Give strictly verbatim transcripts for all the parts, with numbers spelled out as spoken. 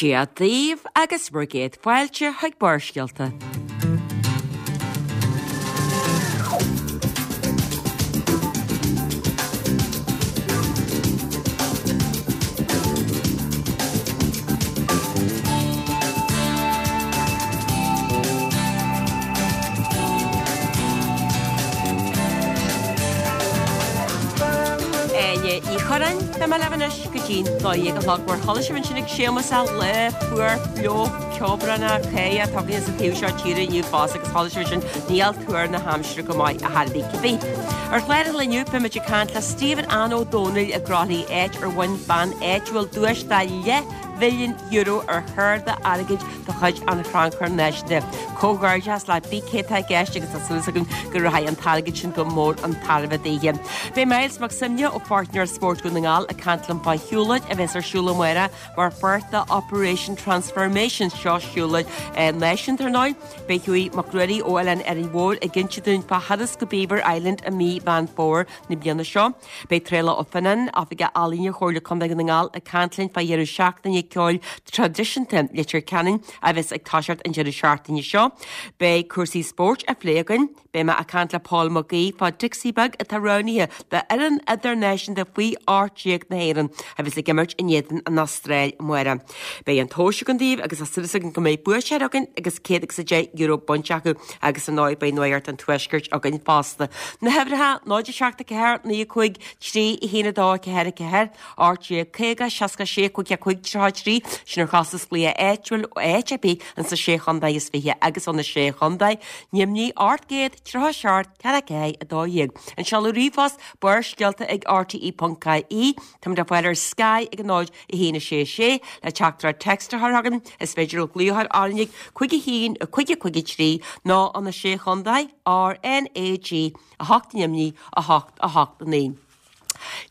Dia daoibh agus bhur gcéad fáilte chuig Barrscéalta. Áine Ní Churráin, beidh mé libh anois go dtí'n dó dhéag a chlog mar chuala sibh ansin ag Séamus a lá fuar fliuch ceobhránach cé atá againn sa taobh seo tíre inniu fosta agus chuala sibh ansin níl tuar na haimsire go maith ar chor ar bith cibé. Ar chlár an lae inniu beimid ag caint le Stephen Ann Ó Dónaill i gCroithlí áit ar bhain bean áitiúil duais de leath mhilliún euro ar chárta airgid de chuid an Chrannchuir Náisiúnta. Comhghairdeas le cibé atá i gceist agus tá súil againn go rachaidh an t-airgead sin go mór chun tairbhe daoithe. Beidh Myles Mac Suibhne ó Pháirtnéir Spóirt Dhún na nGall ag caint liom fá shiúlóid a bheas ar siúl amárach mar pháirt de Operation Transformation seo siúlóid náisiúnta ar ndóigh. Beidh Hughie Mac Ruairí ó Oileán Árainn Mhór ag inse dúinn fá thuras go Beaver Island i mí Mheán Fómhair na bliana seo. Beidh Traolach Ó Fionnáin, Oifigeach Ealaíne Chomhairle Contae Dhún na nGall ag caint linn fá dheireadh seachtaine ceoil traidisiúnta Leitir Ceanainn a bheas ag toiseacht an deireadh seachtaine seo. Beidh cúrsaí spóirt á phlé againn, beidh mé ag caint le Paul Mac Aoidh fá Dixie Beag atá roghnaithe d'fhoireann idirnáisiúnta faoi ocht déag na hÉireann a bheas ag imirt in éadan an Astráil amárach. Beidh an tomhas againn daoibh agus tá súil againn go mbeidh buaiteoir againn agus céad agus a deich euro bainte acu agus ar ndóigh beidh Nuacht an Tuaiscirt againn fosta. Na huimhreacha náid a seacht a ceathair naoi a cúig trí a haon a dó a ceathair a ceathair, ocht déag caoga seasca sé cúig a cúig tríocha a trí, sin ar chostas glaoch áitiúil ó áit ar bith ins na sé chontae is fiche agus ó na sé chontae, Nimhní ocht gcéad tríocha a seacht ceathair a ceathair a dó dhéag. An seoladh ríomhphost barrscéalta ag rte.ie. Táimid ar fáil ar Sky ag a náid a haon a sé sé le teachtaireacht text a chur chugainn. Is féidir le glaoch ar RnaG cúig a haon a cúig a cúig a trí nó ó na sé chontae R N A G a hocht Nimhní a hocht a hocht a naoi.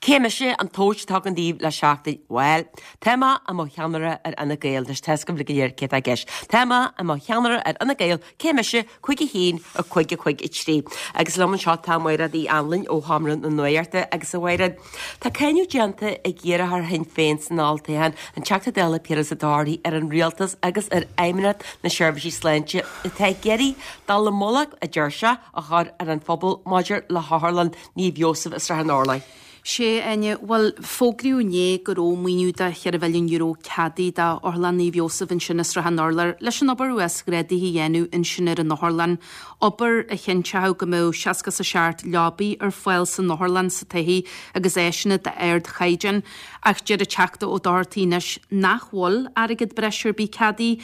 Cé mise an tomhas atá againn daoibh le seachtain? Bhuel, tá mé i mo cheannaire ar Fhine Gael, anois tá a fhios agaibh go léir cé atá i gceist. Tá mé i mo cheannaire ar Fhine Gael, cé mise cúig a haon a cúig a cúig a trí. Agus liom anseo tá Mairéad Uí Anluain ó Sheomra na Nuachta agus a Mhairéad, tá cáineadh déanta ag iarrthóir Shinn Féin san olltoghchán, an Teachta Dála Piaras Ó Dochartaigh ar an rialtas agus ar Fheidhmeannacht na Seirbhísí Sláinte atá ag iarraidh dallamullóg, a deir sé, a chur ar an phobal maidir le hOtharlann Naomh Iósaf i Srath an Urláir. Sé, Áine, bhuel, fógraíodh inné go raibh maoiniú de cheithre mhilliún euro ceadaithe d'Otharlann Naomh Iósaf ansin i Srath an Urláir leis an obair uasghrádaithe a dhéanamh ansin ar an otharlann, obair a chinnteodh go mbeadh seasca is a seacht leabaí ar fáil san otharlann sa todhchaí agus áiseanna d'ardchaighdeán. Ach deir an Teachta Ó Dochartaigh anois nach bhfuil airgead breise ar bith ceadaithe,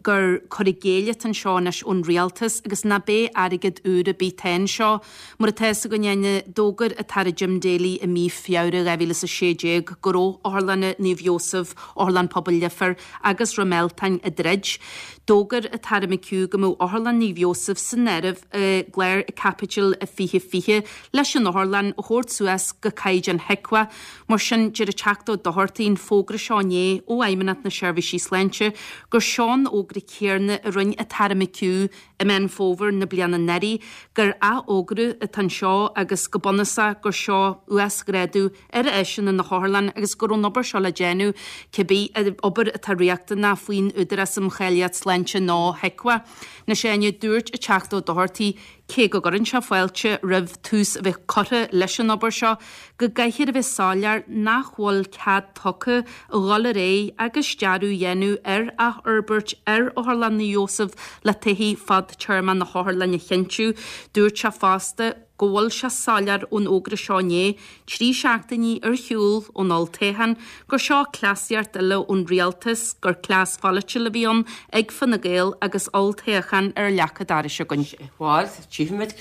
gur cur i gcéill atá anseo anois ón rialtas agus nach beidh airgead úr ar bith atá anseo. Mar atá fhios againn, Áine, d'fhógair an tAire Jim Daly i mí Feabhra dhá mhíle is a sé déag go raibh Otharlanna Naomh Iósaf, Otharlann Pobail Leifear agus Dhroim Eltáin ag druid. D'fhógair an tAire McHugh go mbeadh Otharlann Naomh Iósaf san áireamh i gclár Caipitil fiche fiche leis an otharlann a thabhairt suas go caighdeán HIQA. Mar sin, deir an Teachta Ó Dochartaigh an fógra seo inné ó Fheidhmeannacht na Seirbhísí Sláinte gur seo an fhógra céarna a rinne an tAire McHugh i Meán Fómhair na bliana anuraidh gur athfhógra atá anseo agus go bunúsach gur seo uasghrádú ar áiseanna na hotharlainne agus go raibh an obair seo le déanamh cibé obair atá riachtanach faoin Údarás um Cháilíocht Sláinte nó HIQA. Anois Áine, dúirt an Teachta Ó Dochartaigh, cé go gcuireann sé fáilte roimh tús a bheith curtha leis an obair seo, go gcaithfear a bheith soiléir nach bhfuil cead tugtha a dhul ar aghaidh agus dearadh a dhéanamh ar athfhorbairt ar Otharlann Naomh Iósaf le todhchaí fadtéarmach na hotharlainne a chinntiú. Dúirt sé fosta go bhfuil sé soiléir ón fhógra seo inné, trí seachtainí ar shiúl ón olltoghchán, gur seo cleasaíocht eile ón rialtas, gur cleas pholaitiúil a bhí ann ag Fine Gael agus olltoghchán ar leac an dorais againn. Bhuel, tchífimid,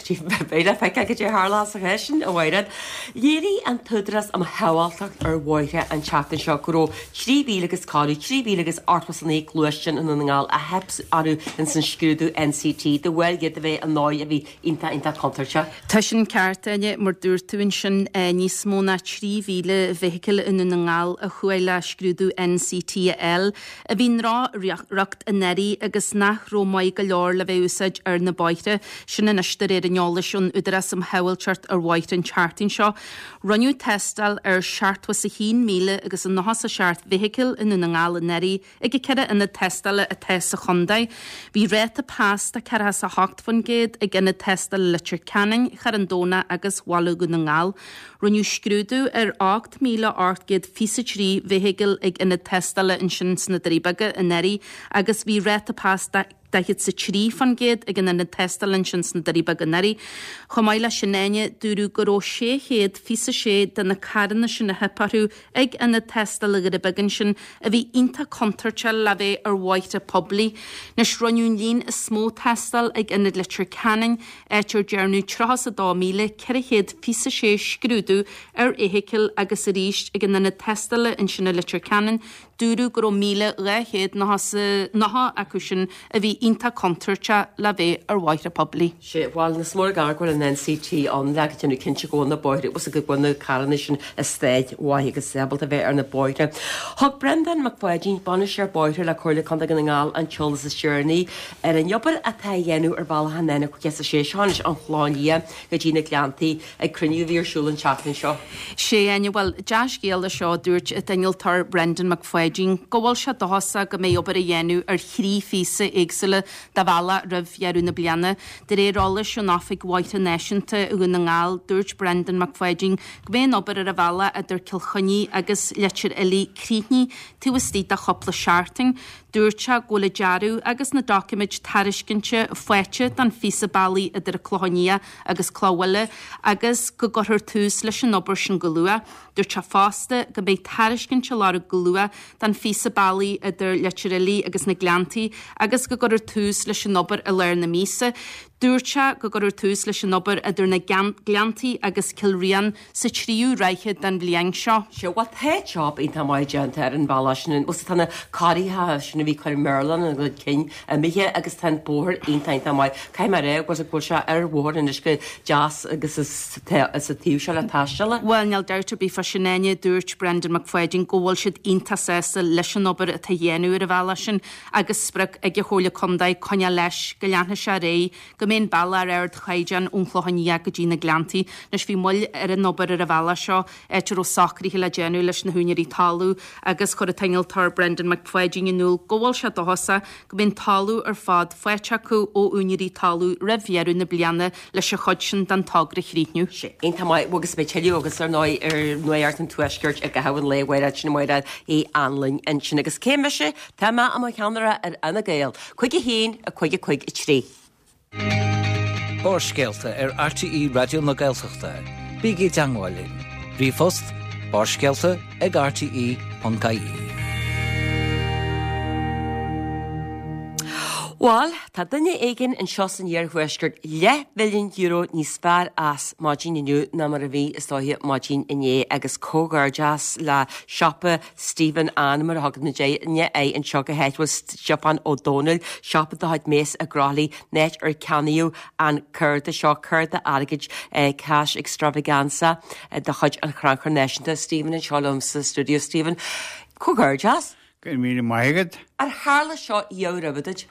beidh le feiceáil cad é a tharlós sa cheist sin, a Mhairéad. Léirigh an tÚdarás um Shábháilteacht ar Bhóithre an tseachtain seo go raibh trí mhíle agus corradh, trí mhíle agus ochtó is a naoi gluaisteán i nDún na nGall a theip orthu ins an scrúdú NCT de bharr iad a bheith i ndóigh a bhí iontach, iontach contúirteach. Tá sin ceart, Áine, mar dúirt tú ansin, níos mó ná trí mhíle feithicil i nDún na nGall a chuaigh le scrúdú N C T a fháil, a bhí i ndroch-riocht anuraidh agus nach raibh maith go leor le bheith úsáid ar na bóithre. Sin anois de réir an eolais ón Údarás um Shábháilteacht ar Bhóithre an tseachtain seo. Rinneadh tástáil ar seachtó is a haon míle agus a nócha is a seacht bhfeithicil i nDún na nGall anuraidh ag an ceithre ionad tástála atá sa chontae. Bhí ráta pas de ceathracha is a hocht faoin gcéad ag ionad tástála Leitir Ceanainn, Charn Domhnach agus Bhaile Dhún na nGall. Rinneadh scrúdú ar ocht míle ocht gcéad fiche trí bhfeithicil ag ionad tástála ansin sna Doirí Beaga anuraidh agus bhí ráta pas de daichead is a trí faoin gcéad ag an ionad tástála ansin sna Doirí Beaga anuraidh. Chomh maith leis sin, Áine, dúradh go raibh sé chéad fiche sé de na carranna sin a theip orthu ag ionad tástála Dhoire Beaga ansin a bhí iontach contúirteach le bheith ar bhóithre poiblí. Anois rinneadh an líon is mó tástáil ag ionad Leitir Ceanainn, áit ar dearnadh tríocha is a dó míle ceithre chéad fiche sé scrúdú ar fheithicil agus arís ag an ionad tástála ansin i Leitir Ceanainn, dúradh go raibh míle dhá chéad nócha acu sin a bhí iontach contúirteach le bheith ar bhóithre poiblí. Sé, bhuel, is mór gar go bhfuil an N C T ann le go déanamh cinnte go bhfuil na bóithre agus go bhfuil na carranna sin i staid mhaith agus ábalta bheith ar na bóithre. Thug Breandán Mac Pháidín, bainisteoir bóithre le Comhairle Contae Dhún na nGall, an t-eolas is deireanaí ar an obair atá á dhéanamh ar bhealach an N caoga a sé seo anois ón Chlochán Liath go dtí na Gleanntaí ag cruinniú a bhí ar siúl an tseachtain seo. Sé, Áine, bhuel, dea-scéal é seo, dúirt an t-innealtóir Brendan Mac Pháidín, go bhfuil sé dóchasach go mbeidh obair a dhéanamh ar thrí phíosa éagsúla de bhealach roimh dheireadh na bliana. De réir eolais ón Oifig Bhóithre Náisiúnta i Dhún na nGall, dúirt Brendan Mac Pháidín go mbeidh an obair ar an bhealach idir Cill Chainnigh agus Leitir Fhiligh críochnaithe taobh istigh de chúpla seachtain. Dúirt sé go bhfuil an dearadh agus na doiciméid tairiscinte faighte don phíosa bealaigh idir an Clochán Liath agus Cloch Bhuile agus go gcuirfear tús leis an obair sin go luath. Dúirt sé fosta go mbeidh tairiscint á lorg go luath don phíosa bealaigh idir Leitir Fhiligh agus na Gleanntaí agus go gcuirfear tús leis an obair i lár na míosa. Dúirt sé go gcuirfear tús leis an obair idir na Gleanntaí agus Cill Riain sa tríú ráithe den bhliain seo. Sé bhuel tá job iontach maith déanta ar an bhealach sin bhuel tá na carraigreacha sin a bhí cur meirleán an gcuid cinn imithe agus tá an bóthar iontach iontach maith. Caithfidh mé a rá go bhfuil sé ar bhóthar anois go deas agus is sa taobh seo le taisteal. Bhuel níl dabht ar bith faoi sin Áine, dúirt Brendan Mac Pháidín go bhfuil siad iontach sásta leis an obair atá á dhéanamh ar an bhealach sin agus sprioc ag an Chomhairle Contae coinneáil leis go leanfaidh sé ar aghaidh go mbeidh an bealach ar ardchaighdeán ón Chlochán Liath go dtí na Gleanntaí. Anois bhí moill ar an obair ar an bhealach seo áit a raibh socruithe le déanamh leis na húinéirí talún agus chuir an t-innealtóir Brendan Mac Pháidín in iúl go bhfuil sé dóchasach go mbeidh an talamh ar fad faighte acu ó úinéirí talún roimh dheireadh na bliana leis an chuid sin den togra a chríochnú. Sé iontach maith agus beidh tuilleadh agus ar ndóigh ar Nuacht an Tuaiscirt i gcaitheamh an lae amárach sin Máire Uí Anluain ansin agus cé mise tá mé i mo cheannaire ar Fhine Gael, cúig a haon a cúig a cúig a trí. Barrscéalta ar R T E Raidió na Gaeltachta. Bígí i dteagmháil linn. Ríomhphost barrscéalta ag R T E ponc I E. Bhuel, tá duine éigin anseo san iarthuaisceart leathmhilliún euro níos fearr as maidin inniu ná mar a bhí is dóiche maidin inné agus comhghairdeas le siopa Stephen Ann mar a thugann na daoine é anseo go háitiúil Stiofán Ó Dónaill, siopa de chuid Mace i gCroithlí, áit ar ceannaíodh an cárta seo, cárta airgid eh, cash extravaganza eh, de chuid an Chrannchuir Náisiúnta. Stephen anseo liom sa studio Stephen. Comhghairdeas? Go míle maith agat. Ar tharla seo roimhe duit?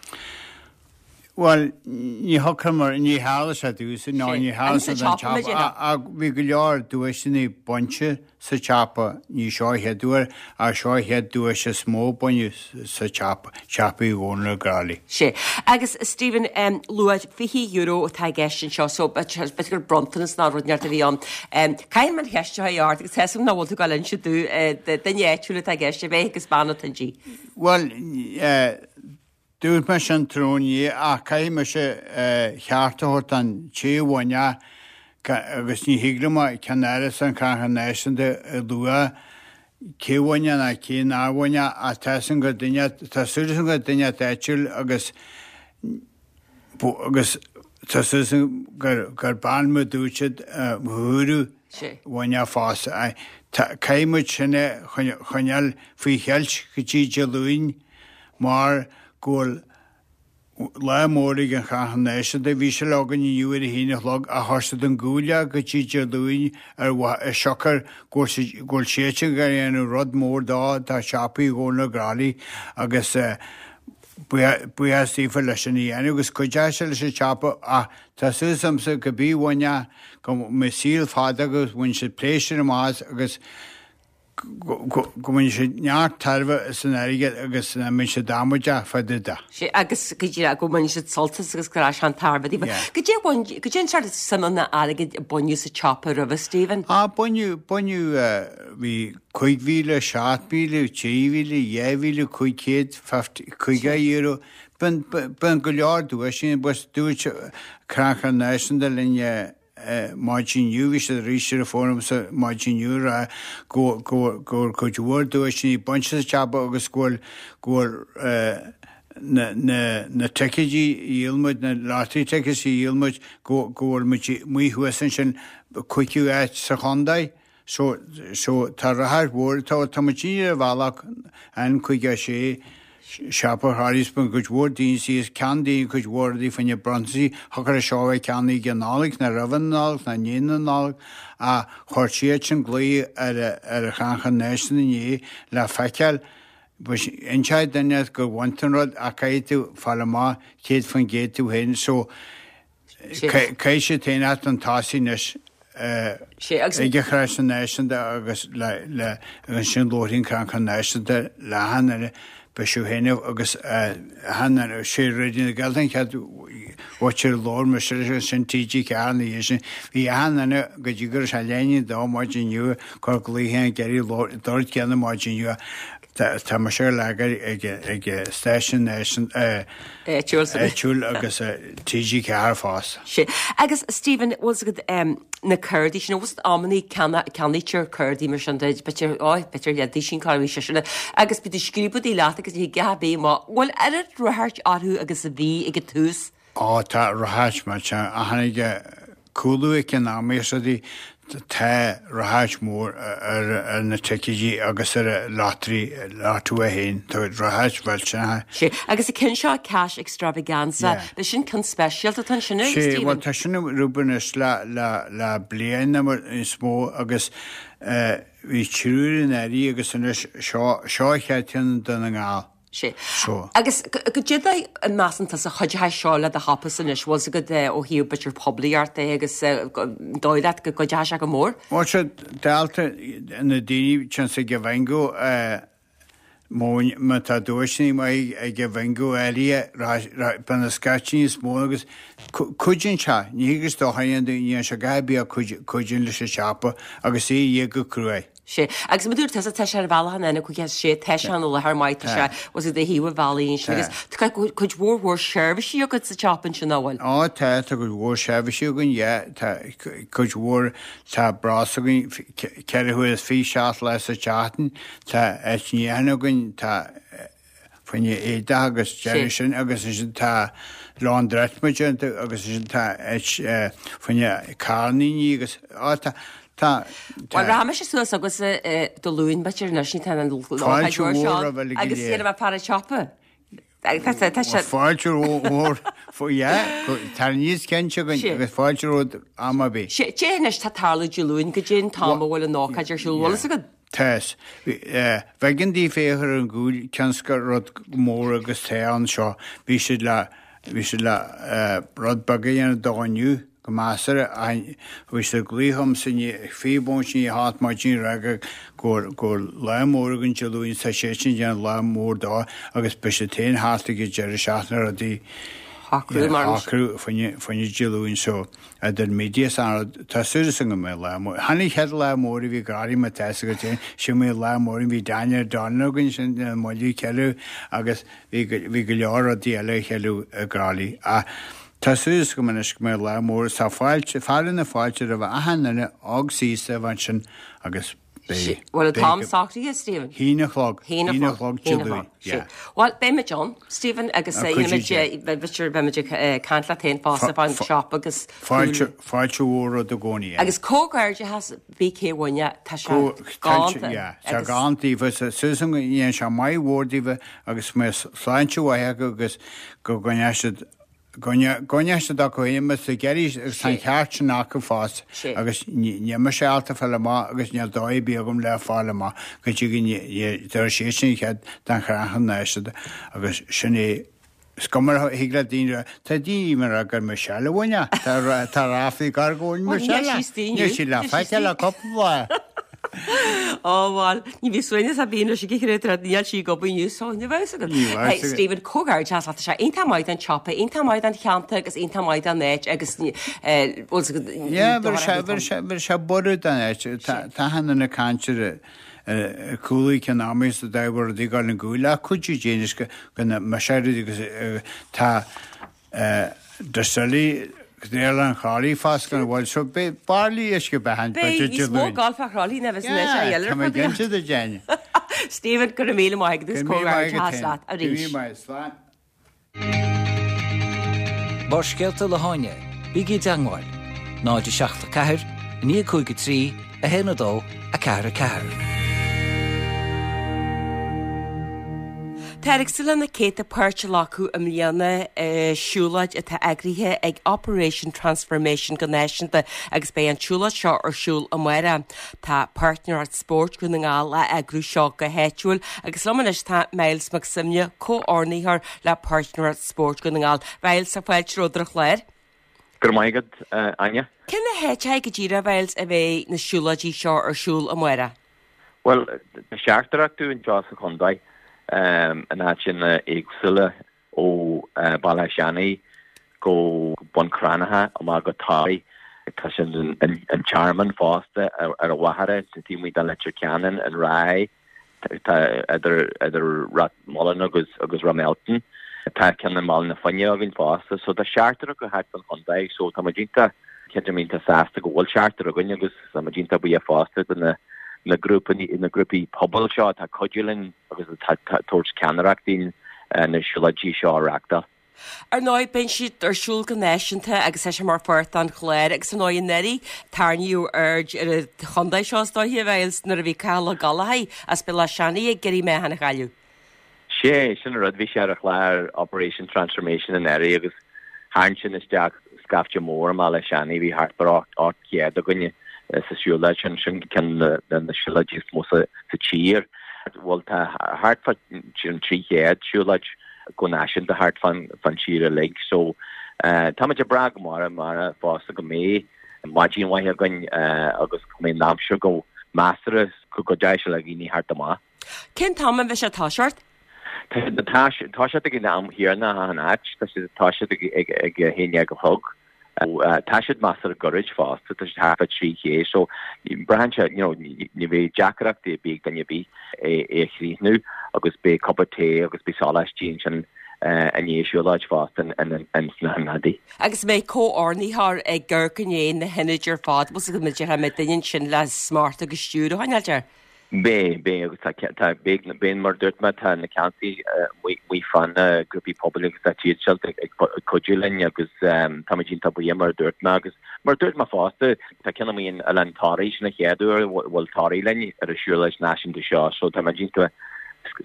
Well, ní mar ní tharla sé domhsa ná ní tharla sé don tsiopa bhí go leor duaiseanna bainte sa tsiopa ní seo an chéad uair a seo an chéad duais is mó baineadh sa tsiopa siopa Uí Dhónaill i gCroithlí. Sé. Agus Stephen um, luaigh fiche euro atá i gceist anseo so b'fhéidir gur bronntanas ná rud inteacht a bhí ann. Um, Caithfidh mé an cheist seo a ort agus tesim ná bhfuil tú ag inse do duine áitiúil atá i gceist a bheith agus bean tuí. Well, uh, dúirt mé sin tráthnóna ach caithfidh mise ceart a thabhairt an té a bhain agus ní thig liom ceannáras an Chrannchuir Náisiúnta a lua cé a bhain ná cé nár bhain a tá go duine tá súil go duine áitiúil agus agus tá súil gur gur bean mu dúirt thuú bhain fás. Caithfidh muid sin a choinneáil faoi cheilt go dtí Dé Luain mar go bhfuil Lá mór ag an Chrannchur Náisiúnta, bhí sé le againn inniu ar a haon a chlog ach chuir siad an gúile go dtí Dé Luain ar mhaith siocair go bhfuil siadsan ag déanamh rud mór dó, tá siopaí i gComhairle na gCroí agus buíochas daofa leis sin a dhéanamh agus cuideoidh sé leis an tsiopa ach tá súil agamsa go bí bhaine go mbeidh saol fada agus bhain siad pléisiúr amach as agus go mbainfidh siad neart tairbhe as an airgead agus nach mbeidh siad amaideach fá dtaobh de. Sea, agus go díreach go mbainfidh siad sult as agus go raibh sé an-tairbhe daofa. Goidé a bhain, goidé an sórt suimeanna airgid a baineadh sa tsiopa roimhe, Stephen? Ah, baineadh, baineadh, bhí cúig mhíle, seacht míle, trí mhíle, dhá mhíle, cúig chéad, fifty, caoga euro. Bíonn, bíonn go leor duaiseanna, but dúirt Crannchur Náisiúnta linn, maidin inniu, bhí siad arís ar an bhfón liomsa maidin inniu ag rá go bhfuil cuid mhór duaiseanna bainte sa tsiopa agus go bhfuil go bhfuil na na na ticéidí a dhíol muid, na lottery tickets a dhíol muid, go go bhfuil muid amuigh thuas ansin cúigiú áit sa chontae. So so tá ráchairt mhór, tá tá muid ar an bhealach an caoga a sé siopa Harry's bíonn cuid mhór daoine síos, ceannaíonn cuid mhór rudaí fá choinne bronntaisí, thiocfadh leis seo a bheith ceannaithe ag an Nollaig, ná roimh an Nollaig, ná i ndiaidh na Nollag, ach chuir siad sin glao ar ar an Chrannchur Náisiúnta inné le feiceáil, inseoidh duine gur bhain tú an rud ach caithfidh tú fáil amach céad faoin gcéad tú féin so caithfidh siad féin a theacht chun tosaigh anois. Ag an Chrannchur Náisiúnta agus le ansin labharfaidh an Crannchur Náisiúnta le achan duine beidh siad féin agus achan duine sé Raidió na Gaeltachta an chéad bhuaiteoir a labhair mise leis agus sin TG Ceathair ina dhiaidh sin. Bhí achan duine go dtí go raibh sé leath i ndiaidh a dó maidin inniu ag cur glaoithe ag iarraidh an rud céanna maidin inniu. Tá mise ar leagan ag ag stáisiún áitiúil agus TG Ceathair fosta. Sea. Agus Stephen, bhfuil 's agat na cárdaí sin, bhfuil 's agat amannaí ceannaítear cárdaí mar sin duit, b'fhéidir, ó, b'fhéidir leath duisín cá raibh sé sin, agus bíonn tú ag scríobh rudaí leat agus ní thig a bheith maith. Bhfuil oiread ráchairt orthu agus a bhí ag an tús? Ó, tá ráchairt mar sin, ach tháinig cúlú eacnamaíoch rudaí, tá ráchairt mhór ar na ticéidí agus ar an lottery, Lotto a haon, tá ráchairt mhillteanach. Sea, agus an ceann seo Cash Extravaganza, yeah. Sin ceann speisialta atá ansin, Sea, Stephen? bhuel tá sin ar obair anois le, le, le bliain nó níos mó agus eh, bhí triúr in airí agus anois seo, seo an chéad cheann do na nGall. Sea. Agus goidé an measann tusa a chuideoidh seo le do shopasa anois, bhfuil 's agat ó thaobh b'fhéidir poiblíocht de agus dóigh leat go gcuideoidh sé go mór? Bhuel sea, dálta na daoine téann siad ag an bhingo má tá duaiseanna maith ag an bhingo áirithe bíonn na scaití níos mó agus cuidíonn sé, ní hé gur dochar a dhéanamh, ní dhéanann sé a dhath ar bith ach cuidíonn leis an siopa agus é a dhíol go cruaidh. Sea. Agus mar a dúirt tusa, tá sé ar bhealach an N caoga a sé, tá sé ina láthair maith, tá sé, bhfuil 's agat ar thaobh an bhealaigh ansin agus tá cuid mhór mhór seirbhísí agat sa tsiopa ansin, nach bhfuil? Á tá, tá cuid mhór seirbhísí againn, yeah, tá cuid mhór, tá brosna againn ceithre huaire is fiche seacht lá sa tseachtain, tá áit níocháin againn, tá, fá choinne éadach agus deireadh sin agus ansin tá laundrette muid iontu agus ansin tá áit fá choinne carranna agus á tá tá Bhuel rachaidh mise suas agus Dé Luain b'fhéidir anois ní tá an Fáilte mhór roimh uilig agus iad a bheith fear an tsiopa. Tá sé Fáilte mhór yeah tá níos cinnte againn agus fáilte romhat am ar bith. Sea, cé anois tá tarlú Dé Luain goidé an t-am a bhfuil an ócáid ar siúl, bhfuil fhios agat? Tá 's. B'éigean daofa féach ar an gcúl cionn 's gur rud mór agus tá ann seo. Bhí siad le, bhí siad le rud beag a dhéanamh dó inniu, go measartha, ach bhí siad ag glaoch ormsa inné, fiche bomaite i ndiaidh a hocht maidin ag rá go, go bhfuil, go bhfuil lá mór againn Dé Luain, tá siad sin ag déanamh lá mór dó agus beidh siad féin thart ag an deireadh seachtaine rudaí a shocrú mar. a shocrú fá choinne, fá choinne Dé Luain so. Idir media is an rud, tá súil agam go mbeidh lá mór. Tháinig chéad lá mór a bhí ag Garraí má tá fhios agat féin, sin mé lá mór bhí Daniel O'Donnell againn sin i mBaile Ceiliú agus bhí bhí go leor rudaí eile a cheiliú i gCroithlí. Ach tá súil agam anois go mbeidh lá mór is tá fáilte, fearadh na fáilte roimh achan duine óg is aosta a bheith ansin agus Beidh. Bhfuil an t-am socraithe, Stephen? Haon a chlog. Haon a chlog Dé Luain. Yeah. Bhuel, beidh muid ann, Stephen, agus beidh muid ag caint leat féin fosta fán siopa agus. Fáilte, fáilte mhór romhat i gcónaí. Agus comhghairdeachas BK Mhuine, tá sé galánta. Yeah, tá galánta daoibh. Susan, go ndéana sé maith mhór daoibh agus go mbeidh sláinte mhaith acu agus go gcoinneoidh siad Go gcoinneoidh siad acu féin mas ag iarraidh agus tá an ceart sin acu fosta agus níl mise ábalta fáil amach agus níl dóigh ar bith agam le fáil amach go dtí go dtabharfaidh siadsan cead don chrannchur náisiúnta agus sin é is cuma a thig le daoine rá tá daoine even rá gur Michelle a bhain é tá ráflaí gar go bhfuil Michelle níl sí le feiceáil le cúpla lá. Ó bhuel, ní bhí suaimhneas ar bith anois ag an chréatúr, níl sí ag obair inniu so ní bheadh fhios agat. Ní bheadh fhios agat. Stephen, comhghairdeachas leat, tá sé iontach maith don tsiopa, iontach maith don cheantar agus iontach maith don áit agus bhfuil fhios agat, ní Yeah, bhí sé, bhí sé, bhí sé borradh don áit. Tá, tá achan duine ag caint ar ar cúlaí ceann ama is a d'fhág rudaí ag dul in gcúil ach cuidiú Dé anois go, go na, mise rudaí agus tá, Distillery Oileán Chroithlí fosta gan bhfuil so beidh bairillí uisce beatha Beidh níos mó golf a Chroithlí ná bheas anois a Yeah, tá mé cinnte de Jenny. Stephen, go raibh míle maith agat agus Go raibh míle maith agat comhghairdeachas leat féin. Go raibh arís. míle maith, slán. Barrscéalta le hÁine, bígí i dteangmháil, náid a seacht a ceathair, a naoi cúig a trí, a haon a dó, a ceathair a ceathair. Táthar ag súil le na céadta páirt a ghlacadh i mbliana i siúlóid atá eagraithe ag Operation Transformation go náisiúnta agus beidh an tsiúlóid seo ar siúl amárach. Tá Páirtnéireacht Spóirt Dhún na nGall á eagrú seo go háitiúil agus liom anois tá Myles Mac Suibhne, comhordaitheoir le Páirtnéireacht Spóirt Dhún na nGall. Myles, tá fáilte romhat ar an chlár. Go raibh maith agat, Áine. Cé na háiteacha go díreach, Myles, a bheidh na siúlóidí seo ar siúl amárach? Bhuel, tá seachtar acu anseo sa chontae, in áiteanna éagsúla, ó Bhaile Átha Seanaidh go Bun Cranncha, amach go Toraigh. Tá siad an Tearmann fosta ar an Mhachaire, taobh amuigh de Leitir Ceanainn, an Ráth, tá idir idir Ráth Moliain agus agus Rathmelton. Tá ceann i mBaile na Finne againn fosta. So tá seachtar acu thart fán chontae, so tá muid iontach cinnte iontach sásta go bhfuil seachtar againn agus tá muid iontach buíoch fosta de na na grúpaí na grúpaí pobail seo atá ag cuidiú linn agus atá ag tabhairt ceannaireacht dúinn na siúlóidí seo a reáchtáil. Ar ndóigh, bíonn siad ar siúl go náisiúnta agus tá sé mar pháirt den chlár agus ar ndóigh anuraidh tarraingíodh aird ar an chontae seo is dóiche, a Mhyles, nuair a bhí Cathal Ó Gallchóir as Béal Átha Seanaidh ag iarraidh meáchan a chailleadh. Sé, sin an rud, bhí sé ar an chlár Operation Transformation anuraidh agus tharraing sin isteach scaifte mór i mBaile Átha Seanaidh, bhí thart ar ocht gcéad againne sa siúlóid sin, sin ceann de na siúlóidí is mó sa tír. Bhuel tá thart fá trí chéad siúlóid go náisiúnta thart fán tír uilig so táimid ag brath go mór amárach fosta go mbeidh maidin mhaith againn agus go mbeidh an aimsir go measartha go dteacht le dhaoine theacht amach. Cén t-am a bheidh sé ag toiseacht? Tá siad ag toiseacht ag an am chéanna achan áit, tá siad ag toiseacht ag a haon déag a chlog. Tá siad measartha gairid fosta, tá siad thart fá trí ché so braitheann sé, you know, ní bheidh deacrachtaí ar bith ag duine ar bith é a chríochnú agus beidh cupa tae agus beidh sóláistí ansin i ndiaidh an siúlóid fosta ins na hionadaí. Agus an mbeidh comhordaitheoir ag amharc i ndiaidh na hionaid ar fad, bhfuil 's agat, an mbeidh duine ansin le smacht agus stiúir a choinneáilt air? Beidh, beidh agus tá, tá, beidh, beidh mar a dúirt mé, tá na ceantaí amuigh fá na grúpaí pobail agus tá siad seo ag cuidiú linn agus táimid iontach buíoch mar a dúirt mé agus mar a dúirt mé fosta, tá ceann amuigh in Oileán Thoraí, sin an chéad uair a bhfuil Toraigh linn ar an siúlóid náisiúnta seo so táimid iontach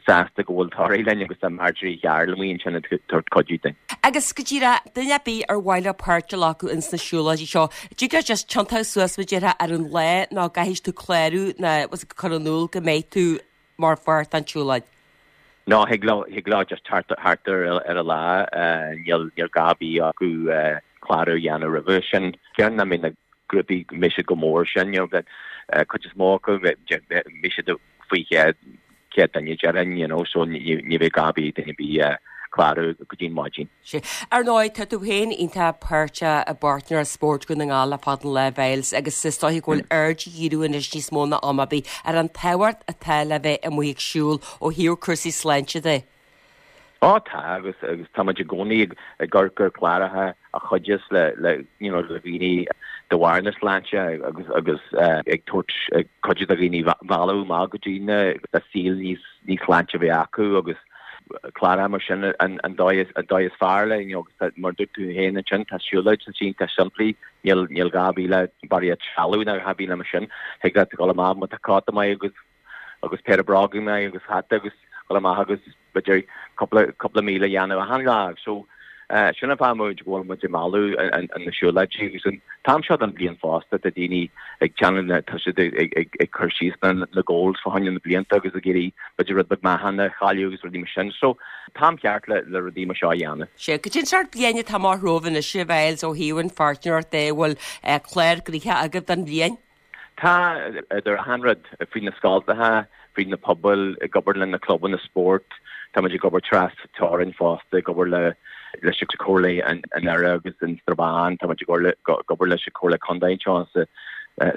sásta go bhfuil Toraigh linn agus tá Marjorie Chearl amuigh ansin ag tabhairt cuidiú dúinn. Agus go díreach, duine ar bith ar mhaith leo páirt a ghlacadh ins na siúlóidí seo, dtig leo just tiontú suas mar a déarfá ar an lá nó caithfidh tú clárú nó cur in iúl go mbeidh tú mar pháirt den tsiúlóid? No, thig leo, thig leo just thart thart ar ar an lá, níl níl gá ar bith acu clárú a dhéanamh roimhe sin. Déarfainn nach mbeidh na grúpaí, go mbeidh siad chomh mór sin, you know, cuid is mó acu, beidh siad faoi chéad céad duine déarfainn, you know, so ní bheidh gá ar bith ag duine ar bith clárú go dtí an maidin. Sea. Ar ndóigh, tá tú féin iontach páirteach i bPáirtnéireacht Spóirt Dhún na nGall le fada an lá, a Mhyles, agus is dóiche go bhfuil aird á dhíriú anois níos mó ná am ar bith ar an tábhacht atá le bheith amuigh ag siúl ó thaobh cúrsaí sláinte de. Ó tá, agus agus tá muid i gcónaí ag ag amharc ar chláracha a chuideos le le you know le dhaoine de bharr na sláinte agus agus ag tabhairt ag cuidiú do dhaoine mealladh amach go dtí na saol níos níos sláinte a bheith acu agus cláracha mar sin an an dóigh an dóigh is fearr le you know, agus mar dúirt tú féin ansin tá siúlóid sa iontach simplí níl níl gá bheith le barraíocht trealamh ná a bheith le mar sin thig leat dul amach má tá cóta maith agus agus péire bróga maith agus hata agus dul amach agus b'fhéidir cúpla cúpla míle a dhéanamh achan lá so sin an fáth muid go bhfuil muid ag mealladh na siúlóidí agus an t-am seo den bhliain fosta tá daoine ag déanamh na tá siad ag cur síos na na goals fá choinne na blianta agus ag iarraidh b'fhéidir rud beag meáchan a chailleadh agus rudaí mar sin. So t-am ceart le le rudaí mar seo a dhéanamh. Sea, cad é an sórt bliain atá amach romhaibh anois a Mhyles ó thaobh an pháirtnéireacht de, bhfuil clár gnoitheach agaibh don bhliain? Tá idir achan rud fríd na scoltacha, fríd na pobail, ag obair le na clubanna spóirt, tá muid ag obair tras teorainn fosta, ag obair le leis an Comhairle an Iarthair agus an Strabán, tá muid ag obair leis an Comhairle Contae anseo sa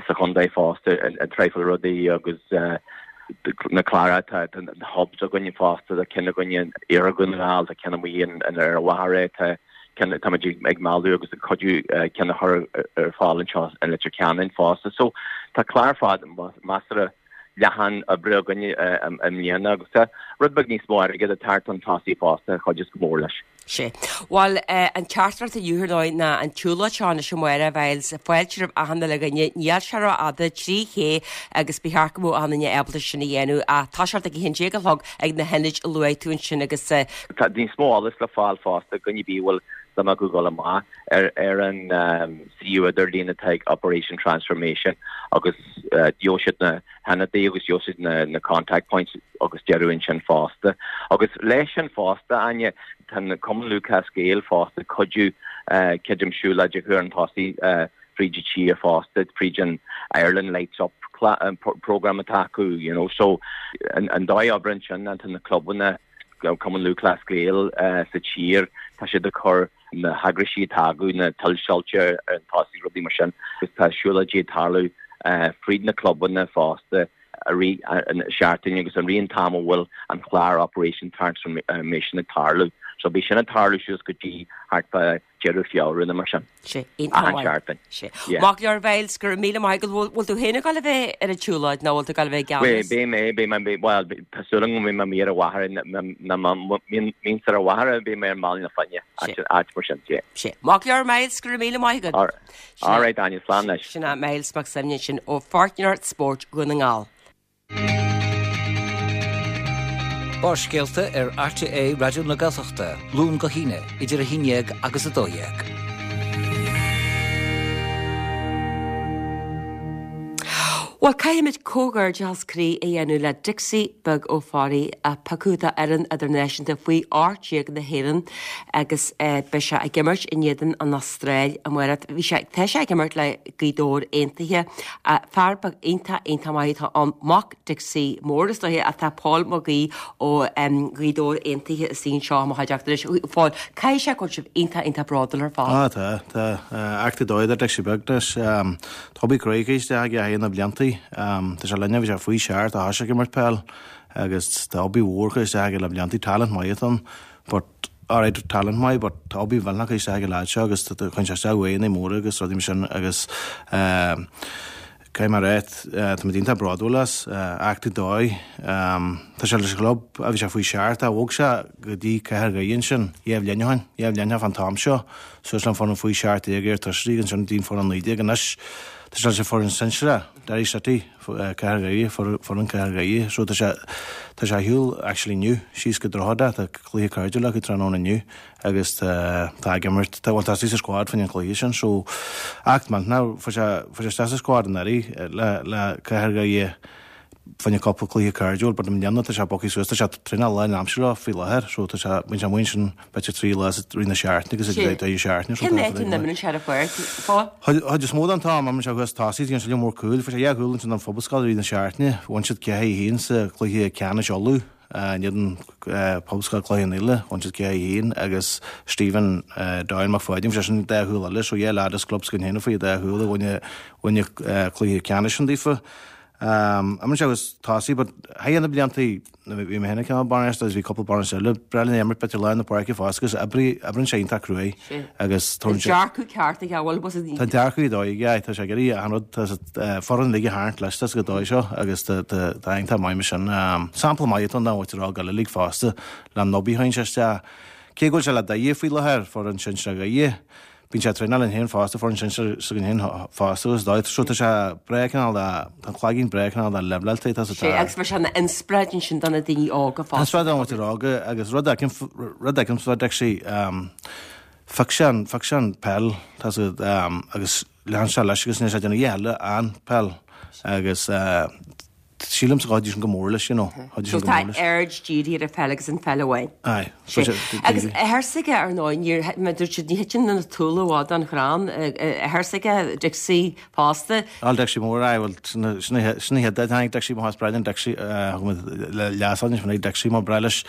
sa chontae fosta an traidhfil rudaí agus na cláracha tá na hubs againne fosta, tá ceann againne in Iarthar Dhún na nGall, tá ceann amuigh in ar Mhachaire, tá ceann tá muid ag mealladh agus ag cuidiú ceann a chur ar fáil anseo in Leitir Ceanainn fosta. So tá clár fada measartha leathan oibre againne i mbliana agus tá rud beag níos mó airgid ag teacht chun tosaigh fosta a chuideos go mór leis. Sea. Bhuel, an teachtaireacht inniu ar ndóigh ná an tsiúlóid seo anois amárach a Mhyles, fáilte roimh achan uile dhuine, níl sé rófhada, trí ché agus ba cheart go mbeadh achan duine ábalta sin a dhéanamh ach toiseacht ag a haon déag a chlog ag na hionaid a luaigh tú ansin agus. Tá níos mó eolais le fáil fosta, duine ar bith a bhfuil suim acu dul amach ar ar an suíomh idirlín atá ag Operation Transformation agus gheobhaidh siad na hionadaí agus gheobhaidh siad na na contact points agus deireadh ansin fosta. Agus leis sin fosta, Áine, tá an Cumann Lúthchleas Gael fosta ag cuidiú creidim siúlóid a chur chun tosaigh fríd an tír fosta, fríd an Ireland Lights Up programme atá acu, you know. So an an dóigh a oibreann sin ná tá na clubanna Cumann Lúthchleas Gael sa tír, tá siad ag cur na heagraisí atá acu, na tuilsoilse ar an tosaigh, rudaí mar sin, agus tá siúlóidí ag tarlú fríd na clubanna fosta i rith an seachtain agus i rith an t-am a bhfuil an clár Operation Transformation ag tarlú. So beidh sin ag tarlú suas go dtí thart fá deireadh Feabhra nó mar sin. Sea, iontach Achan seachtain. Sea. Maith go leor a Mhyles, go raibh míle maith agat. Bhfuil bhfuil tú féin ag dul a bheith ar an tsiúlóid nó bhfuil tú ag dul a bheith i gceannas? Beidh mé, beidh mé, beidh, bhuel, tá súil agam go mbeidh mé amuigh ar an Mhachaire, ná má mbímse ar an Mhachaire, beidh mé ar an mBaile na Finne, áit, áit mar sin, sea. Sea. Maith go leor a Mhyles, go raibh míle maith agat. All right, all right, Áine, slán leis. Sin é Myles Mac Suibhne ansin ó Pháirtnéireacht Spóirt Dhún na nGall. Barrscéalta ar RTÉ Raidió na Gaeltachta, Luan go hAoine, idir a haon déag agus a dó dhéag. Bhuel, caithfimid comhghairdeachas croí a dhéanamh le Dixie Beag Ó Fearraigh, a piocadh d'fhoireann idirnáisiúnta faoi ocht déag na hÉireann agus beidh sé ag imirt in éadan an Astráil amárach. Bhí sé, tá sé ag imirt le Gaoth Dobhair Aontaithe. Fear beag iontach, iontach maith atá ann, mac Dixie Mór is dóiche ach tá Pól Mac Aoidh ó Ghaoth Dobhair Aontaithe istigh anseo i mo chuideachta anois. A Phóil, caithfidh sé go bhfuil sibh iontach, iontach bródúil ar fad. Á, tá, tá. Éacht ar dóigh do Dixie Beag anois. Tá obair chruaidh curtha isteach aige thar na bliantaí. Tá sé linne, bhí sé faoi seacht a thoisigh ag imirt peil agus tá obair mhór curtha isteach aige le bliantaí. Talent maith atá ann but alright talent maith but tá obair mhillteanach curtha isteach ag an leaid seo agus cuireann sé isteach uaigheanna móra agus rudaí mar sin agus Caithfidh mé a rá, táimid iontach bródúil as, éacht ar dóigh. Tá sé leis an chlub ó bhí sé faoi seacht, ach bhog sé go dtí Cathair Dhoire ansin dhá bhliain ó shin, dhá bhliain ó shin fán t-am seo, suas le an foireann faoi seacht déag iar-toisrí agus ansin go dtí an foireann naoi déag. Anois tá sé leis an foireann sinsearach, Derry City, Cathair Dhoire, foireann Cathair Dhoire. So tá sé, tá sé ar shiúl actually inniu síos go Droichead Átha, tá cluiche cairdiúil acu tráthnóna inniu. agus tá tá ag imirt tá bhuel tá sé sa squad fá choinne an chluiche sin so éacht millteanach fuair sé fuair sé isteach sa squad anuraidh le le Cathair Dhoire fá choinne cúpla cluiche cairdiúil but i mbliana tá sé bogtha suas tá sé traenáil lánaimseartha faoi láthair so tá sé bíonn sé amuigh ansin b'fhéidir trí lá sa rith na seachtaine agus ag deireadh seachtaine so Cén áit a n-imríonn sé ar an pháirc Phóil? Chuid is mó den t-am imríonn sé thuas tosaigh déanann sé lear mór cúil fuair sé dhá chúl ansin don Phobalscoil i rith na seachtaine bhain siad ceathair a haon sa chluiche ceannais Uladh In éadan Pobalscoil Chloich Cheann Fhaola, bhain siad ceathair a haon agus Stephen Doyle Mac Pháidín, bhí sé sin dá chúl eile, so dhá leaid as club s'againn féin a fuair dhá chúl i gcoinne cluiche ceannais sin daofa. Imríonn sé agus tosaí, but thigh na bliantaí bhí mé féin cineál bainisteoir agus bhí cúpla bainisteoir eile breá linn imirt b'fhéidir lár na páirce fosta agus oibrí oibríonn sé iontach cruaidh agus Tá dearcadh ceart aige bhfuil bus Tá an dearcadh dóigh aige tá sé ag iarraidh an rud tá foireann uilig a tharraingt leis tá go dóigh seo agus tá tá iontach maith mar sin. Sampla maith atá ann don mhuintir óg eile uilig fosta le Nobby tháinig sé isteach. Cé go bhfuil sé le Doire faoi láthair, foireann sinsear Dhoire, bíonn sé ag traenáil linn féin fosta, foireann sinsear s'againn féin fosta agus dóigh. So tá sé breá cineál de, tá an cloigeann breá cineál de leibhleáilte, tá Sé, agus bheadh sé ina inspioráid ansin do na daoine óga fosta. Inspioráid don mhuintir óga agus rud a fheicim, rud a fheicim sa Dixie, phioc sé an, phioc sé an peil, tá sé, agus lean sé leis agus níl sé ag déanamh a dhath eile ach an peil agus sílimse go chuidigh sin go mór leis, you know, chuidigh So sin go tá mór leis. aird dírithe ar an pheil agus an pheil amháin. Aye. Sé. Agus athair s'aige ar ndóigh, níor, mar dúirt siad, ní thiteann na túla i bhfad ón chrann, athair s'aige, Dixie fosta. Al Dixie mór, aye, bhuel, sin a, sin a, sin a chéad a tháinig Dixie, mo breá linn Dixie, thug muid le leas ann, sin Dixie mar breá leis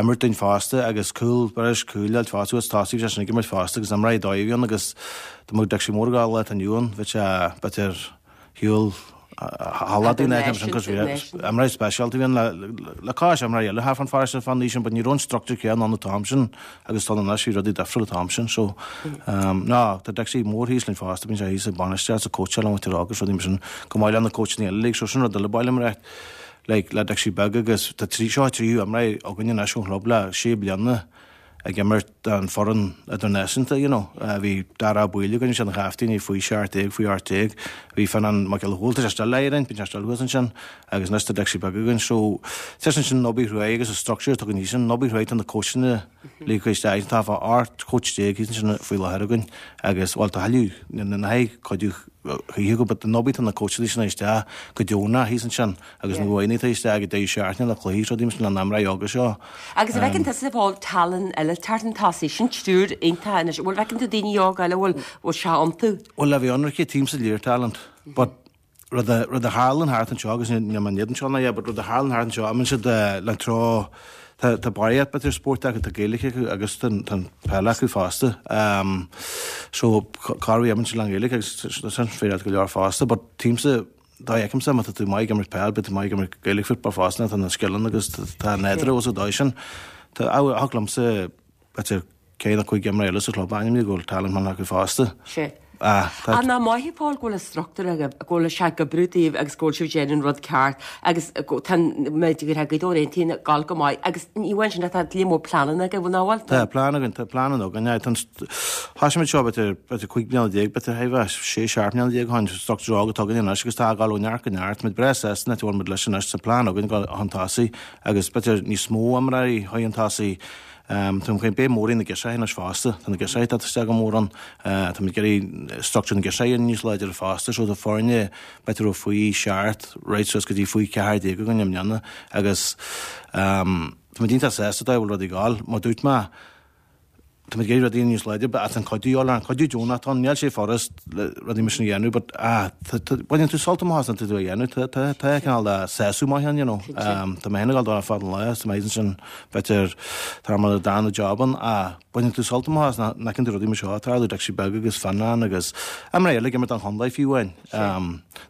imirt dúinn fosta agus cúl, breá leis cúl a fháilt fosta, agus tosaí bhí sé sin ag imirt fosta agus imreoir dóigh a bhí ann agus dá mbeadh Dixie mór ag gabháil lá atá inniu ann, bheadh sé, b'fhéidir, shiúl Imreoir speisialta a bhí ann le cois imreoirí eile thart fán pharóiste fán aois sin but ní raibh an structúr céanna ann an t-am sin agus tá anois bhí rudaí difriúil an t-am sin so ná tá Dixie mór thíos linn fosta bíonn sé thíos ag bainistíocht is ag cóitseáil an mhuintir óg agus rudaí mar sin chomh maith le na cóitseanna eile uilig so sin rud eile ba mhaith liom a rá like le Dixie beag agus tá trí seo tríú imreoir againn anois ón chlub le sé bliana ag imirt don foireann idirnáisiúnta, you know. Bhí Dara Ó Baoill againn, sé an chaptaen, faoi seacht déag, faoi ocht déag. Bhí Fionnán Mac Giolla Chomhaill, tá sé still le Éirinn, bíonn sé still thuas ansin, agus anois tá Dixie beag againn. So, tá sin sin an obair chruaidh agus an structure atá againn thíos ansin, an obair chruaidh tá na coachanna ligthe isteach, tá fá ocht coach déag thíos ansin faoi láthair againn agus, bhuel, tá thuilleadh, na haghaidh cuidiú choíche acu, but an obair tá na coachanna sin isteach go deonach thíos ansin agus na uaigheanna atá isteach ag deireadh seachtaine le cluichí is rudaí mar sin le n-imreoirí óga seo. Agus an bhfeiceann tusa bhfuil tallann eile teacht chun tosaigh, sin triúr iontach anois, bhfuil bhfeiceann tú daoine óga eile bhfuil bhfuil sé iontu? Bhuel le bheith ionraic tímse léir talent, but rud a rud a tharlann thart anseo agus níl mé in éadan seo ná é, but rud a tharlann thart anseo, imíonn siad le treo Tá tá barraíocht b'fhéidir spóirt acu, tá Gaeilge acu agus tá an tá an peil acu fosta. Um, so cá raibh imíonn siad le an Ghaeilge agus sin féidir go leor fosta, but tímse dá fheicimse má tá tú maith ag imirt peil, beidh tú maith ag imirt Gaelic football fosta, tá na scileanna agus tá an nádúr agus an dóigh sin. Tá thig liomsa b'fhéidir ceithre nó cúig imreoir eile sa chlub a ainmniú go bhfuil talent maith acu fosta. Sé. Ah, tá. Ach nach maith a Phóil go bhfuil an struchtúr agaibh, go bhfuil sé ag oibriú daoibh agus go bhfuil sibh ag déanamh an rud ceart agus go tá an méid go raibh Gaoth Dobhair Aontaithe ag gabháil go maith agus ní amháin sin ach tá líon mór pleananna agaibh, nach bhfuil? Tá plean againn, tá pleananna againn, aye, tá an thosaigh muid seo b'fhéidir, b'fhéidir cúig bliana déag, b'fhéidir thigh bheith sé, seacht mbliana déag ó shin, struchtúr óg atá againn anois agus tá ag gabháil ó neart go neart, muid breá sásta an áit a bhfuil muid leis anois, tá plean againn ag gabháil chun tosaigh agus b'fhéidir níos mó imreoirí chun tosaigh. Tá muid beidh mór na girseachaí anois fosta, tá na girseachaí ag teacht isteach go mór ann. Tá muid ag iarraidh structúr na girseachaí níos láidre fosta, so tá foirne b'fhéidir ó faoi seacht right suas go dtí faoi ceathair déag againn i mbliana agus tá muid iontach sásta dá bhfuil rudaí ag gabháil. Mar dúirt mé, tá muid ag iarraidh rudaí níos láidre but tá an cuidiú a fháil, an cuidiú deonach atá ann, níl sé furast rudaí mar sin a dhéanamh but ah baineann tú sult amach as an tú a dhéanamh, tá tá tá cineál de sásamh maith ann you know. Tá mé féin ag dul dó ar fad an lá, tá mé ansin b'fhéidir tá mar a dá job ann ah baineann tú sult amach as nach bhfeiceann tú rudaí mar seo ag tarlú, Dixie beag agus Fionnán agus imreoirí eile ag imirt don chontae fiú amháin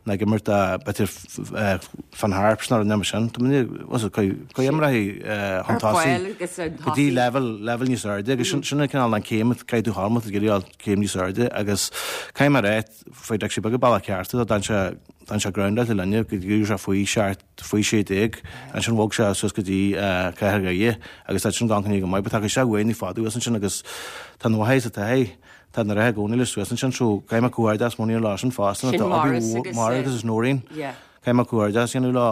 ná ag imirt b'fhéidir Finn Harps nó rud mar sin. Tá mé was it cuid imreoirí chun tosaigh go dtí level level níos airde agus sin sin an cineál an céim caithfidh tú thar ag iarraidh céim níos airde agus caithfidh mé a rá faoi Dixie beag an bealach ceart d'fhan sé d'fhan sé grounded linne go dtí sé faoi seacht faoi sé déag ansin bhog sé suas go dtí Cathair Dhoire agus tá sin gan go maith but tá sé uaidh ní fada uas ansin agus tá na mhaith sa taithí tá na reithe i gcónaí le suas ansin so caithfidh mé comhghairdeas mór leo sin fosta Sin tá Maurice obair agus, mhór Maurice agus Noreen yeah. Caithfidh mé comhghairdeas a dhéanamh leo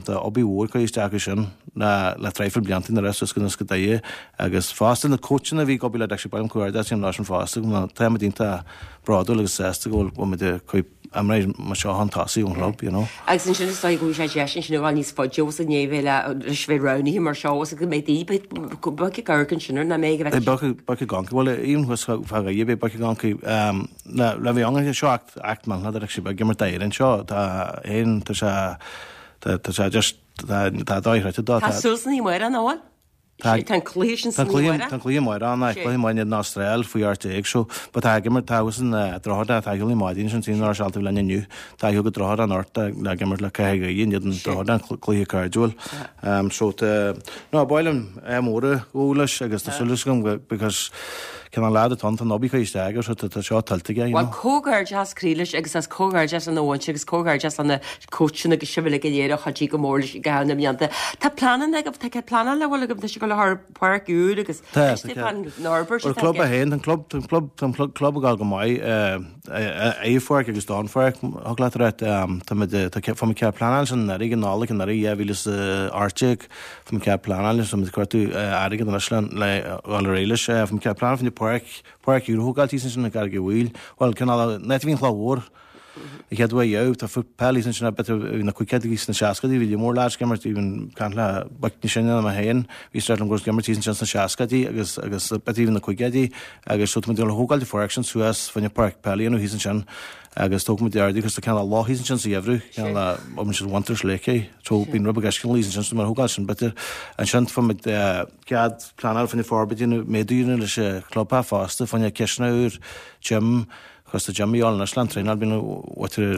tá obair mhór curtha isteach acu sin le le traidhfil blianta na rith suas go go Doire agus fosta na cóitseanna a bhí ag obair le Dixie ba mhaith liom comhghairdeas a dhéanamh leo sin fosta go tá muid iontach bródúil agus sásta go bhfuil muid ag cur imreoirí mar seo chun tosaigh ón chlub, you know. Agus ansin is dóigh go bhfuil sé deis ansin a ghabháil níos faide os i ndiaidh bheith le leis bheith roghnaithe mar seo os go mbeidh daoine beidh beag ag amharc ansin ar nach mbeidh a bheith Beag beag ag amharc bhuel even thuas fá Dhoire beidh beag ag amharc le le bheith ann seo act act millteanach Dixie beag ag imirt d'Éirinn seo tá aon tá sé tá tá sé just tá tá dóigh chreidte dó Tá súil sna Muire nach bhfuil? Tá an cluiche sin Tá an cluiche amárach ann, cluiche maith an Astráil faoi ocht déag so but tá ag imirt tá agus an Droichead tá ag maidin sin sin ar sealta lena inniu tá ag go Droichead anocht le imirt le ceathair in éadan Droichead an cluiche cairdiúil. Um, so tá no bailim é móra go leis agus tá súil agam go because cén an lad atá an obair curtha isteach aige so tá seo tuillte aige. Bhuel comhghairdeas croí leis agus as comhghairdeas lena mhuintir agus comhghairdeas lena coachanna agus sibh uilig go léir a chuidigh go mór leis i gcaitheamh na mblianta. Tá pleananna agaibh, tá pleanáil le bhfuil agaibh, tá sé go le thar páirc úr agus Tá, an fhorbairt An club a haon, an club, an club, an club ag gabháil go maith, i pháirc agus don pháirc, thug leat a rá, tá muid, tá fá mo cead pleanáil sin anuraidh, an Nollaig anuraidh, dhá mhíle is a ocht déag, fá mo cead pleanáil, tá muid ag cuartú airgead anois le le dhul ar aghaidh leis, fá mo cead pleanáil fá páirc, páirc úr a thógáil thíos ansin i gCarraig an Mhaoil, bhuel, cineál, an áit a bhí an Chloch Mhór, an chéad uair dheamh, tá peil thíos ansin b'fhéidir bhí na caogaidí sna seascaidí, bhí lear mór lads ag imirt, even caint le boic níos sine ná mé féin, bhí start liom go raibh ag imirt thíos ansin sna seascaidí agus agus b'fhéidir even na caogaidí agus so tá muid ag dul a thógáil an pháirc sin suas fá choinne páirc peile a dhéanamh thíos ansin agus tógfaidh muid airde agus tá cineál loch thíos ansin sa gheimhreadh, cineál a oibríonn siad Winter's Lake é, so bíonn rud beag uisce thíos ansin so mar thógáil sin b'fhéidir ansin fá muid cead pleanáil fá choinne forbairt a dhéanamh, méadú a dhéanamh leis an club fosta, fá choinne cisteanach úr, gym, cos tá gym a dhíobháil anois le an traenáil bíonn mhuintir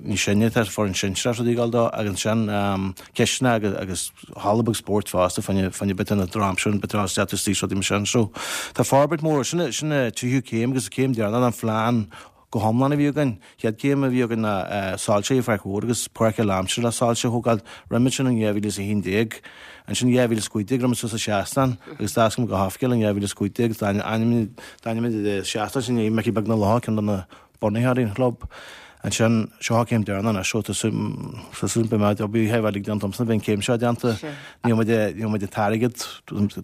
níos sine tá foireann sinsearach rudaí ag dul dó agus ansin cisteanach agus agus halla beag spóirt fosta fá choinne fá choinne b'fhéidir na drochaimsir b'fhéidir isteach istigh rudaí mar sin so tá forbairt mór sin sin an tríú céim agus an céim deireanach den phlean go hiomlán a bhí againn. Chéad céim a bhí againn ná soilse i Pháirc Mhór agus páirc lánaimseartha le soilse a thógáil. Rinne muid sin in dhá mhíle is a haon déag. Ansin dhá mhíle is cúig déag rinne muid suas an seastán agus d'oscail muid go hoifigiúil in dhá mhíle is cúig déag. D'ainmnigh muid an seastán sin i ndiaidh Micí Beag na Locha, ceann de na bunaitheoirí an chlub. Ansin, seo an chéim deireanach anois, so tá súil beidh mé, beidh theith uilig déanta agamsa, beidh an céim seo déanta. Níl muid, níl muid ag t-airgead,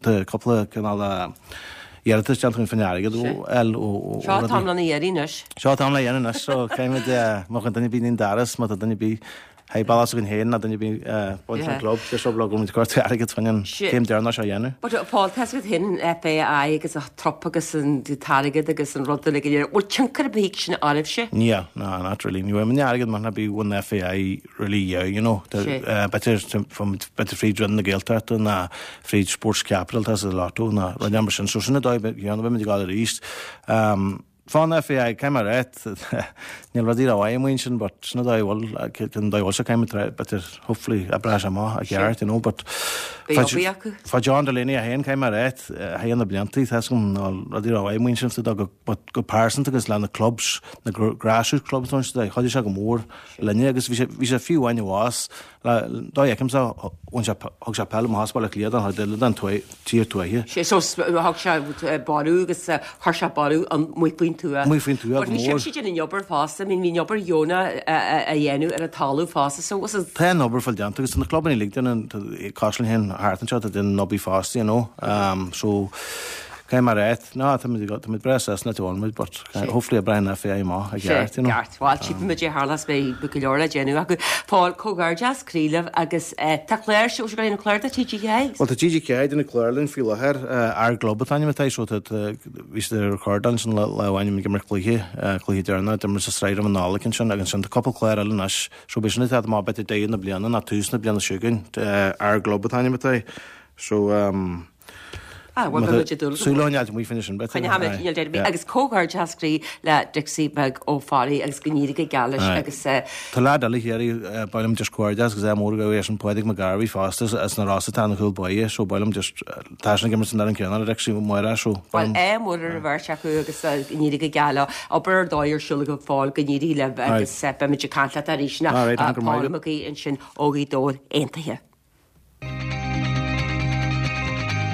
tá cúpla cineál iarratas déanta againn faoin airgead ó L ó ó Seo an t-am lena iarraidh anois. Seo an t-am le dhéanamh anois, so caithfidh muid, má tá duine ar bith in Daras, má tá duine ar bith Hey, bail as againn féin ná duine ar bith baint an club, deir seo go bhfuil muid ag cuartú airgead chun an céim deireanach seo a dhéanamh. But Paul, tá a fhios agat féin an FAI agus an trup agus an t-airgead agus an rud uilig go léir, bhfuil tionchar ar bith aige sin oraibhse? Níl, no, not really. Ní bhfuil aon airgead mar ná bí an FAI really yeah, you know. B'fhéidir b'fhéidir fríd Roinn na Gaeltachta ná fríd Sports Capital tá sa Lotto ná rud mar sin. So sin an dóigh a mbeidh muid ag dul arís. Fán FAI, caithfidh mé a rá, níl rudaí rómhaith amuigh ansin, but sin an dóigh a bhfuil, an dóigh a bhfuil sé, caithfidh muid, b'fhéidir, hopefully, oibreoidh sé amach i gceart, you know, but Beidh obair acu. Fá John Delaney é féin, caithfidh mé a rá, thar na blianta, tá 'fhios agam, níl rudaí rómhaith amuigh ansin, so go, but go pearsanta agus le na clubs, na grassroots clubs, chuidigh sé go mór linne agus bhí sé, bhí sé fiú amháin i bhfás Le dóigh fheicimse, bhain sé, thug sé peil amach as Baile Átha Cliath don chuid eile den tír tuaithe. Sé so thug sé borradh agus chuir sé borradh amuigh faoin tuath. Amuigh faoin tuath go mór. Bhí sibhse ag déanamh an obair fosta, I mean bhí an obair dheonach á dhéanamh ar an talamh fosta so was it. Tá an obair fáil déanta agus tá na clubanna uilig déanamh, cosúil linn féin thart anseo, tá déanamh an obair fosta, you know. So. Caithfidh mé a rá, ná, tá muid, tá muid breá sásta leis an muid, but hopefully oibreoidh an FAI amach i gceart, you know. Ceart, bhuel, tchífidh muid é tharla beidh go leor le déanamh acu. Paul, comhghairdeas croí libh agus tá clár, bhfuil sibh ag déanamh clár do TG Ceathair? Bhuel, tá TG Ceathair ag déanamh clár linn faoi láthair, Ár gClub an t-ainm atá air, so tá, tá, bhí siad ag recordáil ansin lá amháin ag imirt cluiche, cluiche deireanach, d'imir sa sraith roimh an Nollaig ansin agus ansin tá cúpla clár eile anois, so beidh sin ag teacht amach b'fhéidir deireadh na bliana nó tús na bliana seo chugainn, Ár gClub an t-ainm atá air, so um, Ah, bhuel, beidh muid ag dúil go Súil mór. ón fháilte amuigh faoina sin, b'fhéidir. Coinneoidh muid, níl deir bith. Agus comhghairdeas croí le Dixie beag Ó Fearraigh agus go n-éirí go geal leis agus. Tá leaid eile thiar, ba mhaith liom just comhghairdeas agus ádh mór a ghabháil leis-sean Pádraig McGarvey fosta as na Rosa atá ina chúl báire so ba mhaith liom just tá seisean ag imirt san fhoireann céanna le Dixie Máire so ba Bhuel, mhaith liom. ádh mór ar an bheirt acu agus go n-éirí go geal leo. Obair ar dóigh ar siúl agaibh Paul, go n-éirí libh agus beidh muid ag caint leat arís ná Paul Mac Aoidh ansin ó Ghaoth Dobhair Aontaithe.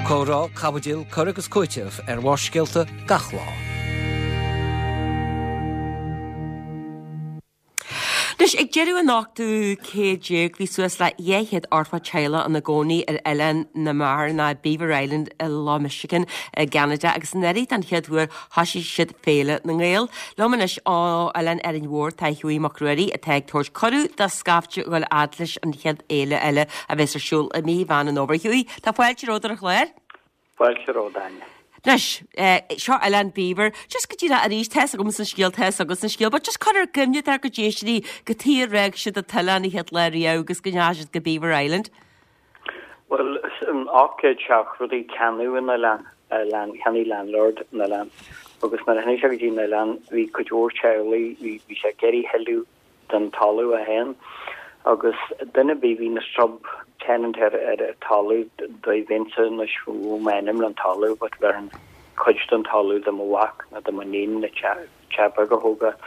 Comhrá, caibidil, cur agus cúiteamh ar Bharrscéalta gach lá. Anois, ag deireadh an ochtú céad déag, bhí suas le dhá chéad ochtó teaghlach ina gcónaí ar Oileán na mBeathar, nó Beaver Island i Loch Michigan i gCeanada, agus anuraidh den chéad uair thosaigh siad Féile na nGael. Liom anois ó Oileán Árainn Mhór tá Hughie Mac Ruairí atá ag tabhairt cuireadh do scaifte a dhul fhad leis an chéad fhéile eile a bheas ar siúl i mí Mheán an Fhómhair. Hughie, tá fáilte romhat ar an chlár. Fáilte romhat, Áine. Anois, seo Oileán Beaver. Just go díreach arís, tá 'fhios agamsa an scéal, tá 'fhios agatsa an scéal, but just cur ar cuimhne dár gcuid éisteoirí cad chuige ar fhág siad an t-oileán an chéad lá riamh agus go ndeachaigh siad go Beaver Island. Bhuel, in ocht céad seachtóidí ceannaíodh an oileán, cheannaigh landlord an oileán agus nuair a tháinig sé go dtí an oileán bhí cuid mhór teaghlaigh, bhí bhí sé ag iarraidh thuilleadh den talamh é féin agus duine ar bith bhí na sub tenant ar ar an talamh dá mbeinnse anois bheadh m'ainm le an talamh but bhéarfainn cuid den talamh do mo mhac nó do mo níon le teach teach beag a thógáil.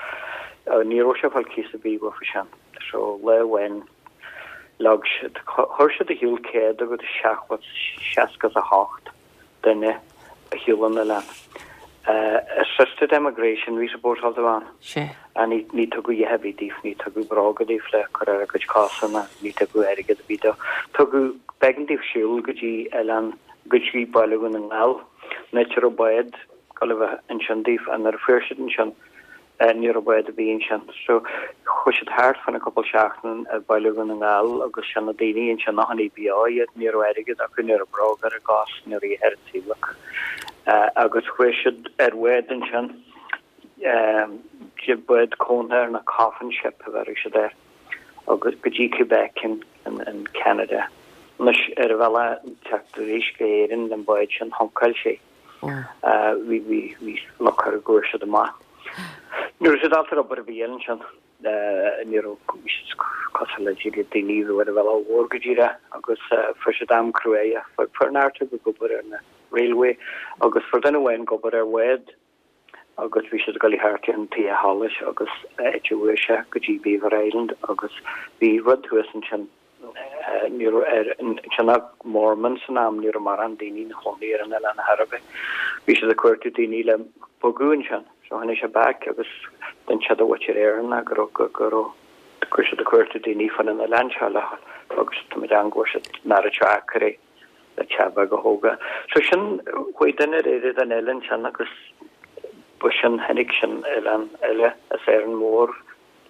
Ní raibh sé ag fáil cíos ar bith uafa sin. So lá amháin Leag siad, chuir siad ar shiúl céad agus seachtó, seasca is a hocht duine ar shiúl ón oileán. Assisted emigration bhí supposáilte a bheith ann. Sea. Ní, ní tugadh a dhath ar bith daofa, ní tugadh bróga daofa le cur ar a gcuid cosa ná ní tugadh airgead ar bith dóibh. Tugadh, b'éigean daofa siúl go dtí oileán, go dtí Baile Dhún na nGall, an áit a raibh bád ag dul a bheith ansin daofa, nuair a fuair siad ansin, Ní raibh bád ar bith ansin. So, chuaigh siad thart fá choinne cúpla seachtain i Baile Dhún na nGall agus sin na daoine ansin a choinnigh beo iad, ní raibh airgead acu, ní raibh bróga ar a gcos, ní raibh a dhath ar an saol acu. Agus chuaigh siad ar bhád ansin, bád cóntóir nó coffin ship a bheireadh siad air, agus go dtí Quebec in in Canada. Anois, ar a bhealach teacht arís go hÉirinn le an bád sin, shunkáil sé. Bhí bhí bhí loc ar a gcuaigh siad amach. Ní raibh siad ábalta ar obair ar bith ansin. Ní raibh bhí siad cosúil le díreach daoine a bhí ar an bhealach mhór go díreach agus fuair siad am cruaidh. Fuair neart acu ag obair ar na railway agus fuair duine amháin ag obair ar bhád agus bhí siad ag dul thart ar an taobh sholais agus áit a bhfuair sé go dtí Beaver Island agus bhí rud thuas ansin Ní raibh ar ansin ach Mormons san am, ní raibh mórán daoine ina chónaí ar an oileán ar chor ar bith. Bhí siad ag cuartú daoine le bogadh ansin. So tháinig sé back agus d'inis sé do mhuintir Éireannach go raibh, go raibh, go raibh siad ag cuartú daoine fan an oileán seo le agus tá muid ann go bhfuair siad an oiread seo acraí le teach beag a thógáil. So sin, chuaigh duine ar éirigh den oileán sin agus ba sin, tháinig sin oileán eile as Árainn Mhór.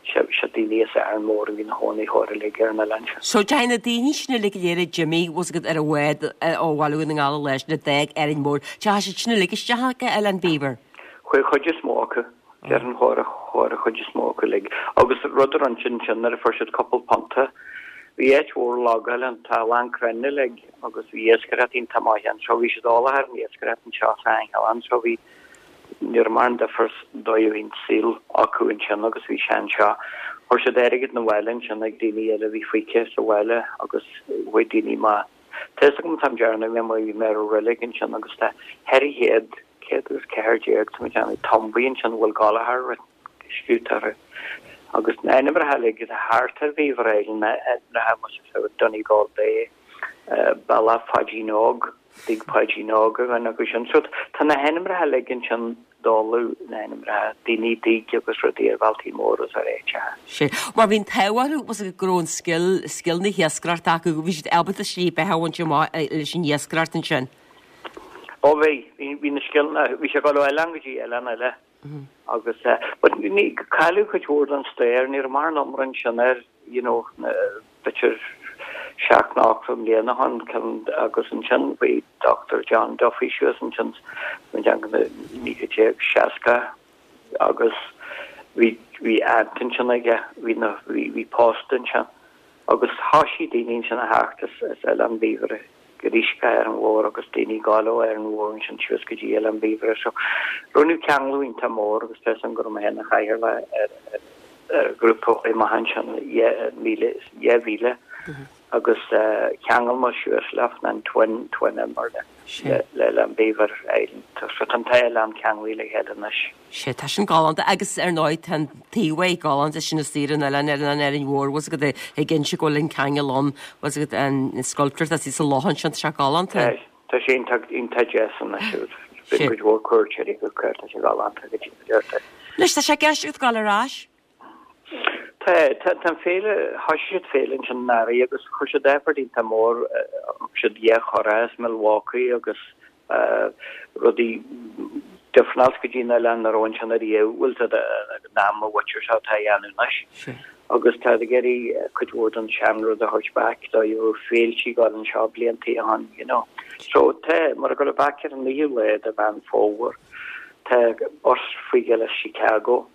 Sé daoine as Árainn Mhór a bhí ina chónaí chóir uilig ar an oileán seo. So deachaigh na daoine sin uilig go léir a d'imigh, bhfuil 's agat, ar an bhád ó Bhaile Dhún na nGall an lá sin a d'fhág Árainn Mhór, deachaigh siad sin uilig isteach go Oileán Beaver? Chuaigh an chuid is mó acu. Déarfainn chuaigh chuaigh an chuid is mó acu uilig. Agus rud a rinne siad ansin nuair a fuair siad cúpla punta, bhí áit mhór logáil ann, tá a lán crainn uilig agus bhí iascaireacht iontach maith ann so bhí siad eolach ar an iascaireacht anseo sa oileán so bhí Ní raibh mórán difear sa dóigh a bhí an saol acu ansin agus bhí sé anseo. Chuir siad airgead 'na bhaile ansin ag daoine eile a bhí fágtha sa bhaile agus chuaigh daoine amach. Tá fhios agam an t-am deireanach bhí mé bhí mé ar an reilig ansin agus tá ceithre chéad, céad agus ceathair déag tá mé ag déanamh, tumbaí ansin a bhfuil Gallchóir scríobhta orthu. Agus na hainmneacha uilig atá thart ar Bheaver Island, na hainmneacha Donegal Bay, Bealach Pháidín Óg, Tigh Pháidín Óg a dhuine acu sin. So tá na hainmneacha uilig ansin dála na hainmneacha daoine tigh agus rudaí ar bhealtaí móra is ar áiteacha. Sea. Mar bhí an t-ádh orthu was go raibh an scil, scil na hiascaireachta acu, bhí siad ábalta slí beatha a bhaint amach leis an iascaireacht ansin. Ó bhí, bhí, bhí na scileanna, bhí sé ag dul ó oileán go dtí oileán eile agus eh, but ní, cailleadh cuid mhór den stair, ní raibh mórán iomrá ansin air, you know, na, b'fhéidir seacht nó ochtó mbliana ó shin, ceann, agus ansin bhí Doctor John Duffy suas ansin sa naoi déag seasca agus bhí, bhí aunt ansin aige, bhí na, bhí, bhí post ansin agus thoisigh daoine ansin a theacht as, as Oileán Beaver arís go Árainn Mhór agus daoine ag gabháil ó Árainn Mhór ansin suas go dtí Oileán Beaver so rinneadh ceangal iontach mór agus tá 'fhios a'm go raibh mé féin ina chathaoirleach ar, ar, ar ghrúpa a chuaigh amach ansin míle, dhá mhíle agus cheangail muid suas leofa an twin, twin mar le, le Oileán Beaver Island. So tá an dá oileán ceanglaithe le chéile anois. Sea, tá sin galánta agus ar ndóigh tá an taobh galánta sin istigh ar an oileán ar an Árainn Mhór, bhfuil 's agat ag inse go bhfuil an ceangal ann, bhfuil 's agat an sculpture atá sa loch ansin, tá sé galánta. Tá, tá sé iontach, iontach deas anois siúd. Bíonn cuid mhór cuairteoirí ag teacht air, tá sé galánta go dtí go deirtear. Anois tá sé i gceist agat dul ar ais? Tá, tá, tá an féile, thoisigh siad féile ansin anuraidh agus chuir siad effort iontach mór, thug siad dhá churach as Milwaukee agus rudaí difreáilte go dtí an oileán nach raibh ansin ariamh, bhfuil 's a'd an am a mhuintir seo atá a dhéanamh anois. Agus tá ag iarraidh cuid mhór den seanrud a thabhairt back dóigh a raibh féiltí ag dul anseo bliantaí ó shin, you know. So tá, mar ag dul back ar an naoú lá de Mheán Fómhair, tá bus faoi gheall as Chicago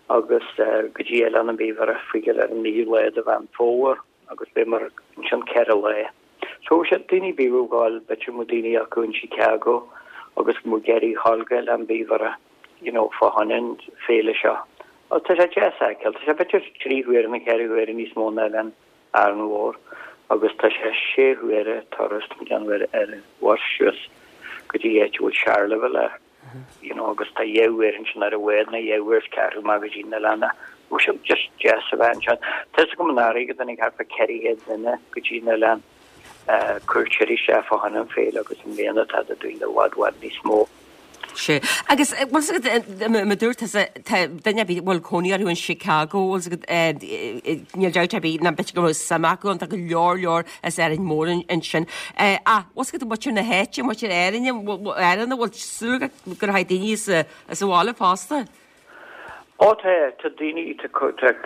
agus go dtí Oileán an Beaver faoi gheall ar an naoú lá de Mheán Fómhair agus beidh muid ansin ceithre lá. So sé daoine bí gáil b'fhéidir mo daoine acu in Chicago agus mo Gary Hallgail an bíhara you know, fá choinne an féile seo. Tá sé deas a fheiceáil, tá sé b'fhéidir trí huaire nó ceithre huaire níos mó ná Oileán Árainn Mhór agus tá sé sé huaire turas déanamh ar ar an bhus suas go dtí áit a bhfuil Charleville air. You know, agus tá dhá uair ansin ar an bhád nó dhá uair is ceathrú amach go dtí an oileán. Bhí sé just deas a bheith ansin. Tá a fhios agam anuraidh go dtáinig thart fá ceithre chéad duine go dtí an oileán cuairteoirí isteach fá choinne an féile agus i mbliana tá daoine i bhfad bhfad níos mó. Sé. Agus bhfuil a fhios agat mar dúirt tusa tá duine ar bith bhfuil cónaí orthu in Chicago bhfuil a fhios agat níl dabht ar bith ná b'fhéidir go raibh suim acu ann tá go leor leor as Árainn Mhór ansin. Ach bhfuil a fhios agat muintir na háite muintir Éirinn Éireann bhfuil súil agat go rachaidh daoine as as an bhaile fosta? Ó tá tá daoine tá tá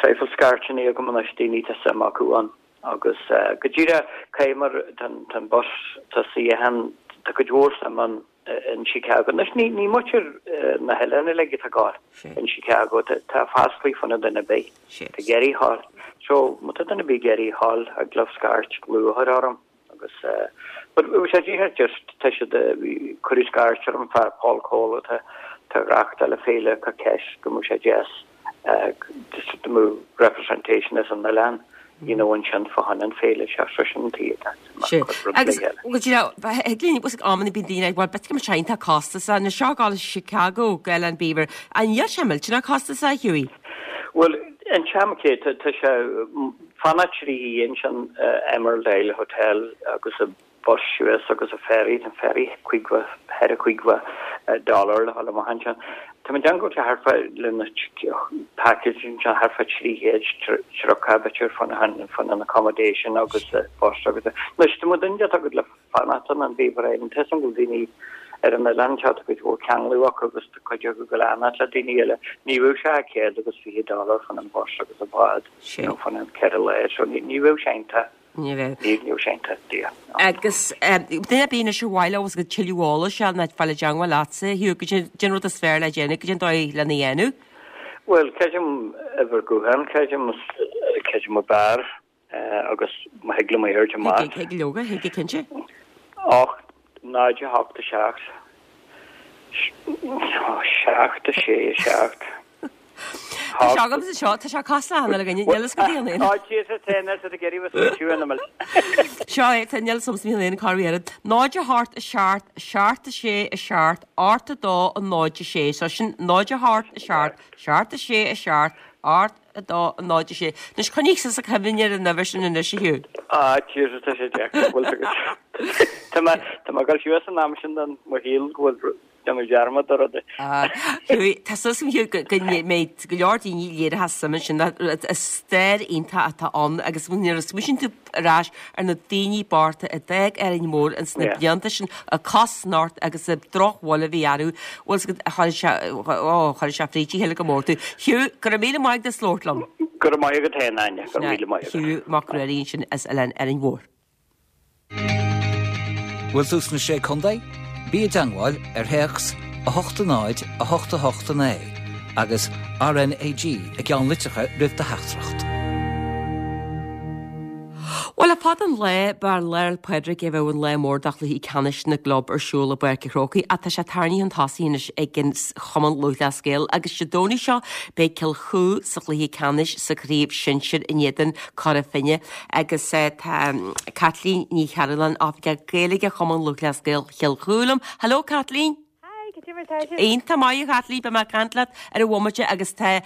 traidhfil scairteanna agam anois daoine tá suim acu ann. Agus go díreach cé mar tá an bus tá suíochán tá cuid mhór suim ann in Chicago. Anois ní ní muintir na hoileáin uilig atá ag gabháil in Chicago tá freastalaí fá choinne duine ar bith atá ag iarraidh a ghabháil. So má tá duine ar bith ag iarraidh a ghabháil thig leo scairt luath a chur orm agus but bhí sé díreach just tá siad cuireadh scairt orm fear Paul Cole atá tá ag reáchtáil an féile ag cur ceist go mbeadh sé deas just dá mbeadh representation as an oileán you know ansin fá choinne an féile seo so sin an tuige atá Sé. Agus well you know thig linn bhfuil amanna bíonn daoine ag bhuel b'fhéidir go mbeadh sé iontach costasach anois seo ag gabháil Chicago go Oileán Beaver an níl sé millteanach costasach a Hughie? Bhuel an t-am cé tá sé fanacht trí oíche ansin Emerald Isle Hotel agus a bus suas agus a ferry, an ferry caoga ceithre caoga dollar le dhul amach ansin. Tá mé ag déanamh go bhfuil sé thart fá le na package ansin thart fá trí chéad tríocha b'fhéidir fá choinne an accommodation agus bus agus anois tá muid duine atá agat le fanacht in an Beaver Island tá a fhios agam go bhfuil daoine ar an oileán seo tá cuid mhór ceanglú acu agus tá cuid acu ag fanacht le daoine eile. Ní bheadh sé ach céad agus fiche dollar fá choinne an bus agus an bád you know fá choinne an ceithre lá so ní ní bheadh sé iontach Ní bheadh. Ní bheadh sé iontach daor. Agus duine ar bith anois ar mhaith leo agus go tuilleadh eolais a fháil nó fáil i dteangmháil leatsa, Hugh, cad é an rud is fearr le déanamh, cad é an dóigh lena dhéanamh. Bhuel, creidim uimhir gutháin, creidim, creidim ab fhearr agus má thig liom é a thabhairt amach. Thig, thig leoga, thig cinnte. Ocht, náid a hocht a seacht, seacht a sé a seacht. Tá sé agamsa seo, tá sé cosúil le hAnna againne, níl fhios go dtí an aon. Á, Jesus, tá an oiread ag iarraidh bheith smaoitiú ina mil. Seo é, tá níl fhios a'msa níl aon chor oiread. Náid a hocht a seacht, seacht a sé a seacht, ocht a dó a náid a sé. So sin náid a hocht a seacht, seacht a sé a seacht, ocht a dó a náid a sé. Anois coinnigh suas a cuimhne ar an uimhir sin anois a Hugh. Á, Jesus, tá sé deacair, bhfuil fhios agat. Tá mé, tá mé ag dul suas an am sin den mo shaol go bhfuil Déanamh dearmad ar rudaí. Hugh, tá súil agam Hugh go go mbeidh go leor daoine léirithe suim ansin is stair iontach atá ann agus nuair a smaoiníonn tú ar ais ar na daoine bochta a d'fhág Árainn Mhór ins na blianta sin ag cosnocht agus an drochbhail a bhí orthu bhfuil fhios agat chuir sé ó chuir sé fríd a chéile go mór tú. Hugh, go raibh míle maith agat as labhairt liom. Go raibh maith agat féin, Áine, go raibh míle maith agat. Hugh Mac Ruairí ansin as Oileán Árainn Mhór. Bhfuil tú sna Sé Contae? Bí i dteangmháil ar théacs a hocht a náid a hocht a hocht a naoi agus RnaG i gceannlitreacha roimh do theachtaireacht. Bhuel, le fada an lá, b'ar Lá 'le Pádraig a bheadh an lá mór do chluichí ceannais na gclub ar siúl i bPáirc an Chrócaigh ach tá sé tarraingthe chun tosaigh anois ag an Chumann Lúthchleas Gael agus Dé Domhnaigh seo beidh Cill Chua sa chluiche ceannais sa chraobh shinsir in éadan Cora Finne agus tá Caitlín Ní Chearúlláin, Oifigeach Gaeilge Chumann Lúthchleas Gael Chill Chua liom. Hello Caitlín! Hi, cad é mar atá sibh? Iontach maith a Chaitlín, beidh mé ag caint leat ar an bhomaite agus tá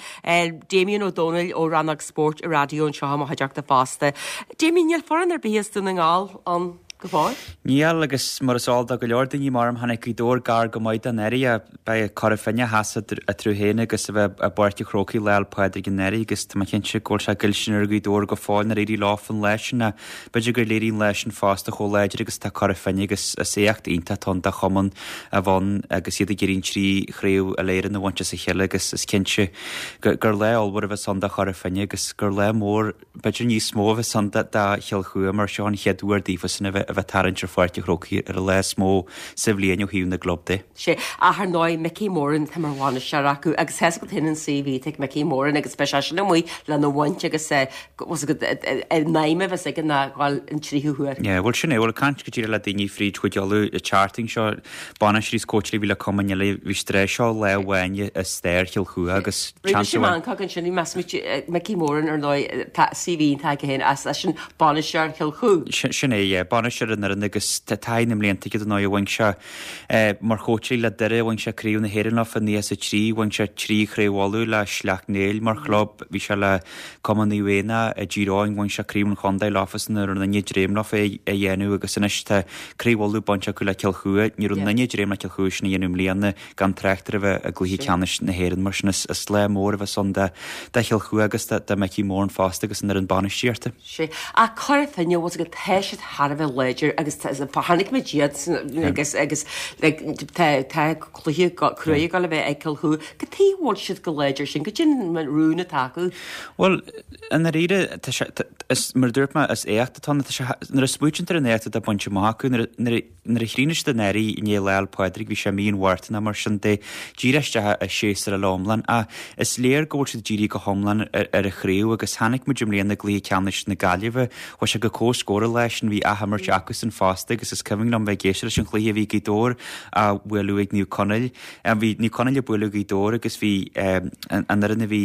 Damien Ó Dónaill ó Rannóg Spóirt an Raidió anseo i mo chuideachta fosta. Damien, níl foireann ar bith as Dún na nGall ann go fóill? Níl, agus mar is eol do go leor daoine mar tháinig Gaoth Dobhair gar go maith don anuraidh. Beidh Cora Finne a sheasamh eatarthu féin agus a bheith i bPáirc an Chrócaigh Lá 'le Pádraig anuraidh agus tá mé cinnte go bhfuil sé goillteanach ar Ghaoth Dobhair go fóill nár éirigh leo an lá sin ach b'fhéidir gur léirigh an lá sin fosta chomh láidir agus atá Cora Finne agus is éacht iontach atá ann do chumann a bheith ann agus iad ag iarraidh an trí chraobh Uile-Éireann a bhaint as a chéile agus is cinnte gur lá ollmhór a bheas ann do Chora Finne agus gur lá mór b'fhéidir níos mó a bheas ann do Chill Chua mar seo an chéad uair daofasan a bheith a bheith tarraingt ar Pháirc an Chrócaigh ar an lá is mó sa bhliain ó thaobh na gclub de. Sea, ach ar ndóigh Mickey Moran atá mar bhainisteoir acu agus tá a fhios agat féin an CV atá ag Mickey Moran agus beidh seisean amuigh lena bhaint agus bhfuil a fhios agat an aidhm a bheas aige ná dhul an tríú huair. Yeah, bhuel sin é, bhuel ag caint go díreach le daoine fríd Chúige Uladh an tseachtain seo, bainisteoirí is cóitseálaí a bhí le cumainn eile, bhí siad tar éis seo lá amháin i stair Chill Chua agus Rinne seans sé amháin. meancóg ansin, bhí meas Mickey Moran ar ndóigh, tá CV iontach aige féin as eisean bainisteoir Chill Chua. Sin é, yeah, bainisteoir an fhoireann agus tá taithí na mblianta aige dar ndóigh, bhain sé mar chóitseálaí le Doire, bhain sé craobh na hÉireann leofa i naocha is a trí, bhain sé trí chraobh Uladh le Sleacht Néill mar chlub, bhí sé le Cumann Naomh Éanna i dTír Eoghain, bhain sé craobh an chontae leofa is ní raibh aon duine ag dréim leofa é a dhéanamh agus anois tá craobh Uladh bainte acu le Cill Chua, ní raibh aon duine ag dréim le Cill Chua sin a dhéanamh i mbliana gan trácht ar a bheith i gcluiche ceannais na hÉireann mar sin is is lá mór a bheas ann do do Chill Chua agus do do Mickey Moran fosta agus an fhoireann bainistíochta. Sea, ach Cora Finne, bhfuil a fhios agat, tá siad thar a bheith láidir agus chonaic muid iad agus agus like tá tá cluiche cruaidh ag dul a bheith ag Cill Chua. Cad chuige a bhfuil siad chomh láidir sin? Cad é an rún atá acu? Bhuel, i ndáiríre, tá sé, is, mar a dúirt mé, is éacht atá ann. Tá sé, nuair a smaoitíonn tú ar an éacht atá bainte amach acu, nuair a, nuair a, nuair a chríochnaigh siad an earraigh i ndiaidh Lá 'le Pádraig, bhí sé mí an Mhárta nó mar sin de, díreach isteach i séasúr eile iomlán. Ach is léir go bhfuil siad dírithe go hiomlán ar, ar an chraobh agus chonaic muid i mbliana i gcluiche ceannais na Gaillimhe, chuaigh sé go comhscór an lá sin, bhí athimirt acusan fosta agus is cuimhin liom bheith ag éisteacht leis an chluiche a bhí Gaoth Dobhair á bhualadh ag Naomh Conaill. Bhí Naomh Conaill ag bualadh Gaoth Dobhair agus bhí an fhoireann a bhí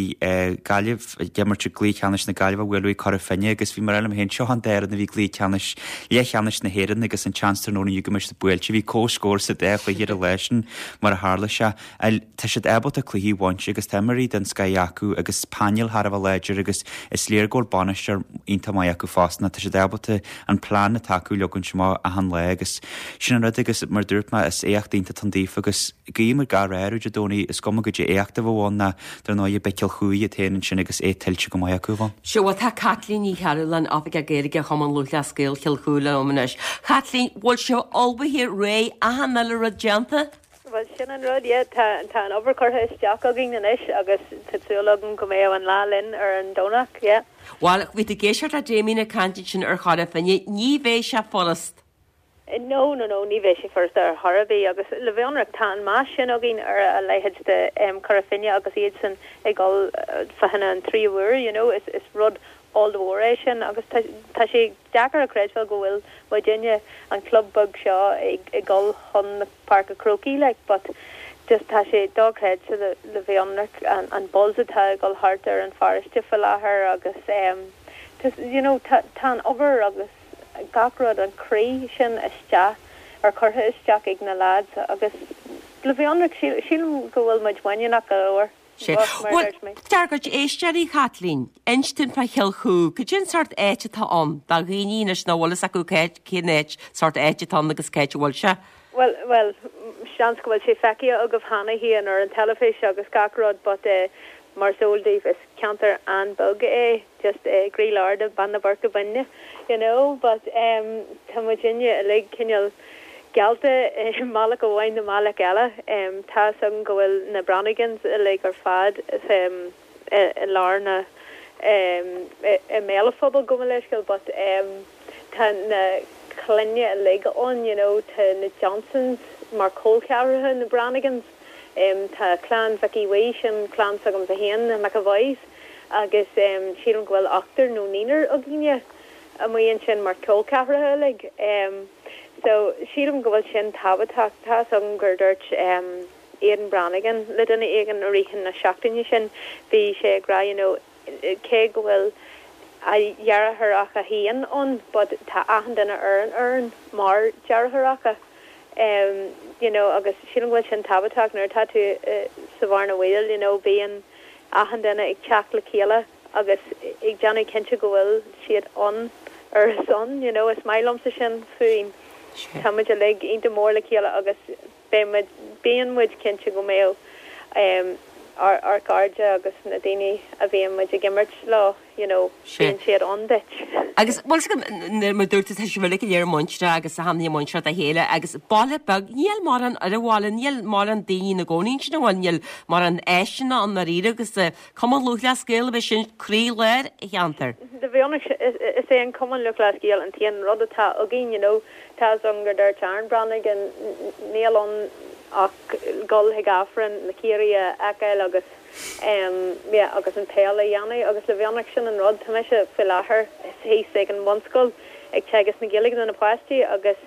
Gaillimh ag imirt i gcluiche ceannais na Gaillimhe á bhualadh ag Cora Finne agus bhí mé ag rá liom féin seo an dá fhoireann a bhí i gcluiche ceannais leathcheannais na hÉireann agus an tseans tráthnóna inniu go mbeidh siad buailte. Bhí comhscór sa dá chluiche ar an lá sin mar a tharla sé. Tá siad ábalta cluichí a bhaint agus tá imreoirí den scoth acu agus painéal thar a bheith láidir agus is léir go bhfuil bainisteoir iontach maith acu fosta. Tá siad ábalta an plean atá acu a leagaint amach achan lá agus sin an rud agus mar a dúirt mé is éacht iontach atá ann daofa agus guím gach rath orthu Dé Domhnaigh is cuma goidé éacht a bheadh ann ná dar ndóigh beidh Cill Chua iad féin ansin agus é tuillte go maith acu a bheith. Sea, bhuel tá Caitlín Ní Chearúlláin, Oifigeach Gaeilge Chumann Lúthchleas Gael Chill Chua liom anois. Chaitlín, bhfuil sibh ullmhaithe réidh achan uile rud déanta? Bhuel sin an rud, yeah, tá tá an obair curtha isteach againn anois agus tá súil agam go mbeidh an lá linn ar an Domhnach, yeah. Bhuel, bhí tú ag éisteacht le Damien ag caint ansin ar Chora Finne, ní bheidh sé furast. No, no, no, ní bheidh sé furast ar chor ar bith agus le bheith ionraic tá an meas sin againn ar a leithéid de um, Cora Finne agus iadsan ag dul fá choinne an tríú huair, you know, is, is rud ollmhór é sin agus tá, tá sé deacair a chreidbheáil go bhfuil muidinne an club beag seo ag, ag dul chun na Páirce Chrócaigh like, but just tá sé dochreidte le, le bheith ionraic an, an buzz atá ag dul thart ar an pharóiste faoi láthair agus um, just, you know, tá, tá an obair agus gach rud an croí sin isteach ar curtha isteach ag na lads agus le bheith ionraic sílim go bhfuil muid muiníneach go leor. Sé. Bhuel, dár gcuid éisteoirí Chaitlín, inis dúinn fá Chill Chua, cad é an sórt áit atá ann, do dhaoine anois nach bhfuil fhios acu cén áit, sórt áit atá ann agus cá háit a bhfuil sé. Well, well, seans go bhfuil sé feicthe agaibh cheana féin ar an teilifís agus gach rud, but uh, mar is eol daoibh is ceantar an-bheag é, just uh, gcroílár de Beanna Boirche Binne, you know, but um, tá muidinne uilig cineál geallta i mbealach amháin nó bealach eile. Um, tá agam go bhfuil na Branigans uilig ar fad um, i, i lár na um, i, i mbéal an phobail go leisceil, but um, tá na clainne uilig ann, you know, tá na Johnsons mar col ceathracha na Branigans. Um, tá clann Mhicí Bhuí sin clann s'agam féin na McAvoys agus um, sílim go bhfuil ochtar nó naonúr againne amuigh ansin mar col ceathracha uilig. Um, so sílim go bhfuil sin tábhachtach tá agam gur dúirt um, Aidan Branigan le duine éigin i rith na seachtaine sin bhí sé ag rá you know, cé go bhfuil a dheartháireacha féin ann, but tá achan duine ar an fhoireann mar dheartháireacha. Um, you know, agus sílim go bhfuil sin tábhachtach nuair atá tú uh, sa bhearna bhaoil, you know, bíonn achan duine ag teacht le chéile agus ag déanamh cinnte go bhfuil siad ann ar a son, you know, is maith liomsa sin faoin. Tá muid uilig iontach mór le chéile agus beidh muid bíonn muid cinnte go mbeidh um, ár ár gcairde agus na daoine a bhíonn muid ag imirt leo, you know, bíonn siad ann duit. Agus bhfuil a fhios agat mar dúirt tú tá sibh uilig go léir muinteartha agus a tháinig muinteartha dá chéile agus baile beag níl mórán ar an bhaile níl mórán daoine ina gcónaí ansin an bhfuil níl mórán áiseanna ann dáiríre agus Cumann Lúthchleas Gael a bheith sin croílár an cheantair. Le bheith ionraic is é an Cumann Lúthchleas Gael an t-aon rud atá againn you know tá a fhios agam gur dúirt Aaron Breathnaigh níl ann ach dul chuig Aifreann na Ciarraí a fheiceáil agus em yeah agus an peil a dhéanamh agus le bheith ionraic sin an rud tá mise faoi láthair thíos ag an mbunscoil ag teagasc na Gaeilge do na páistí agus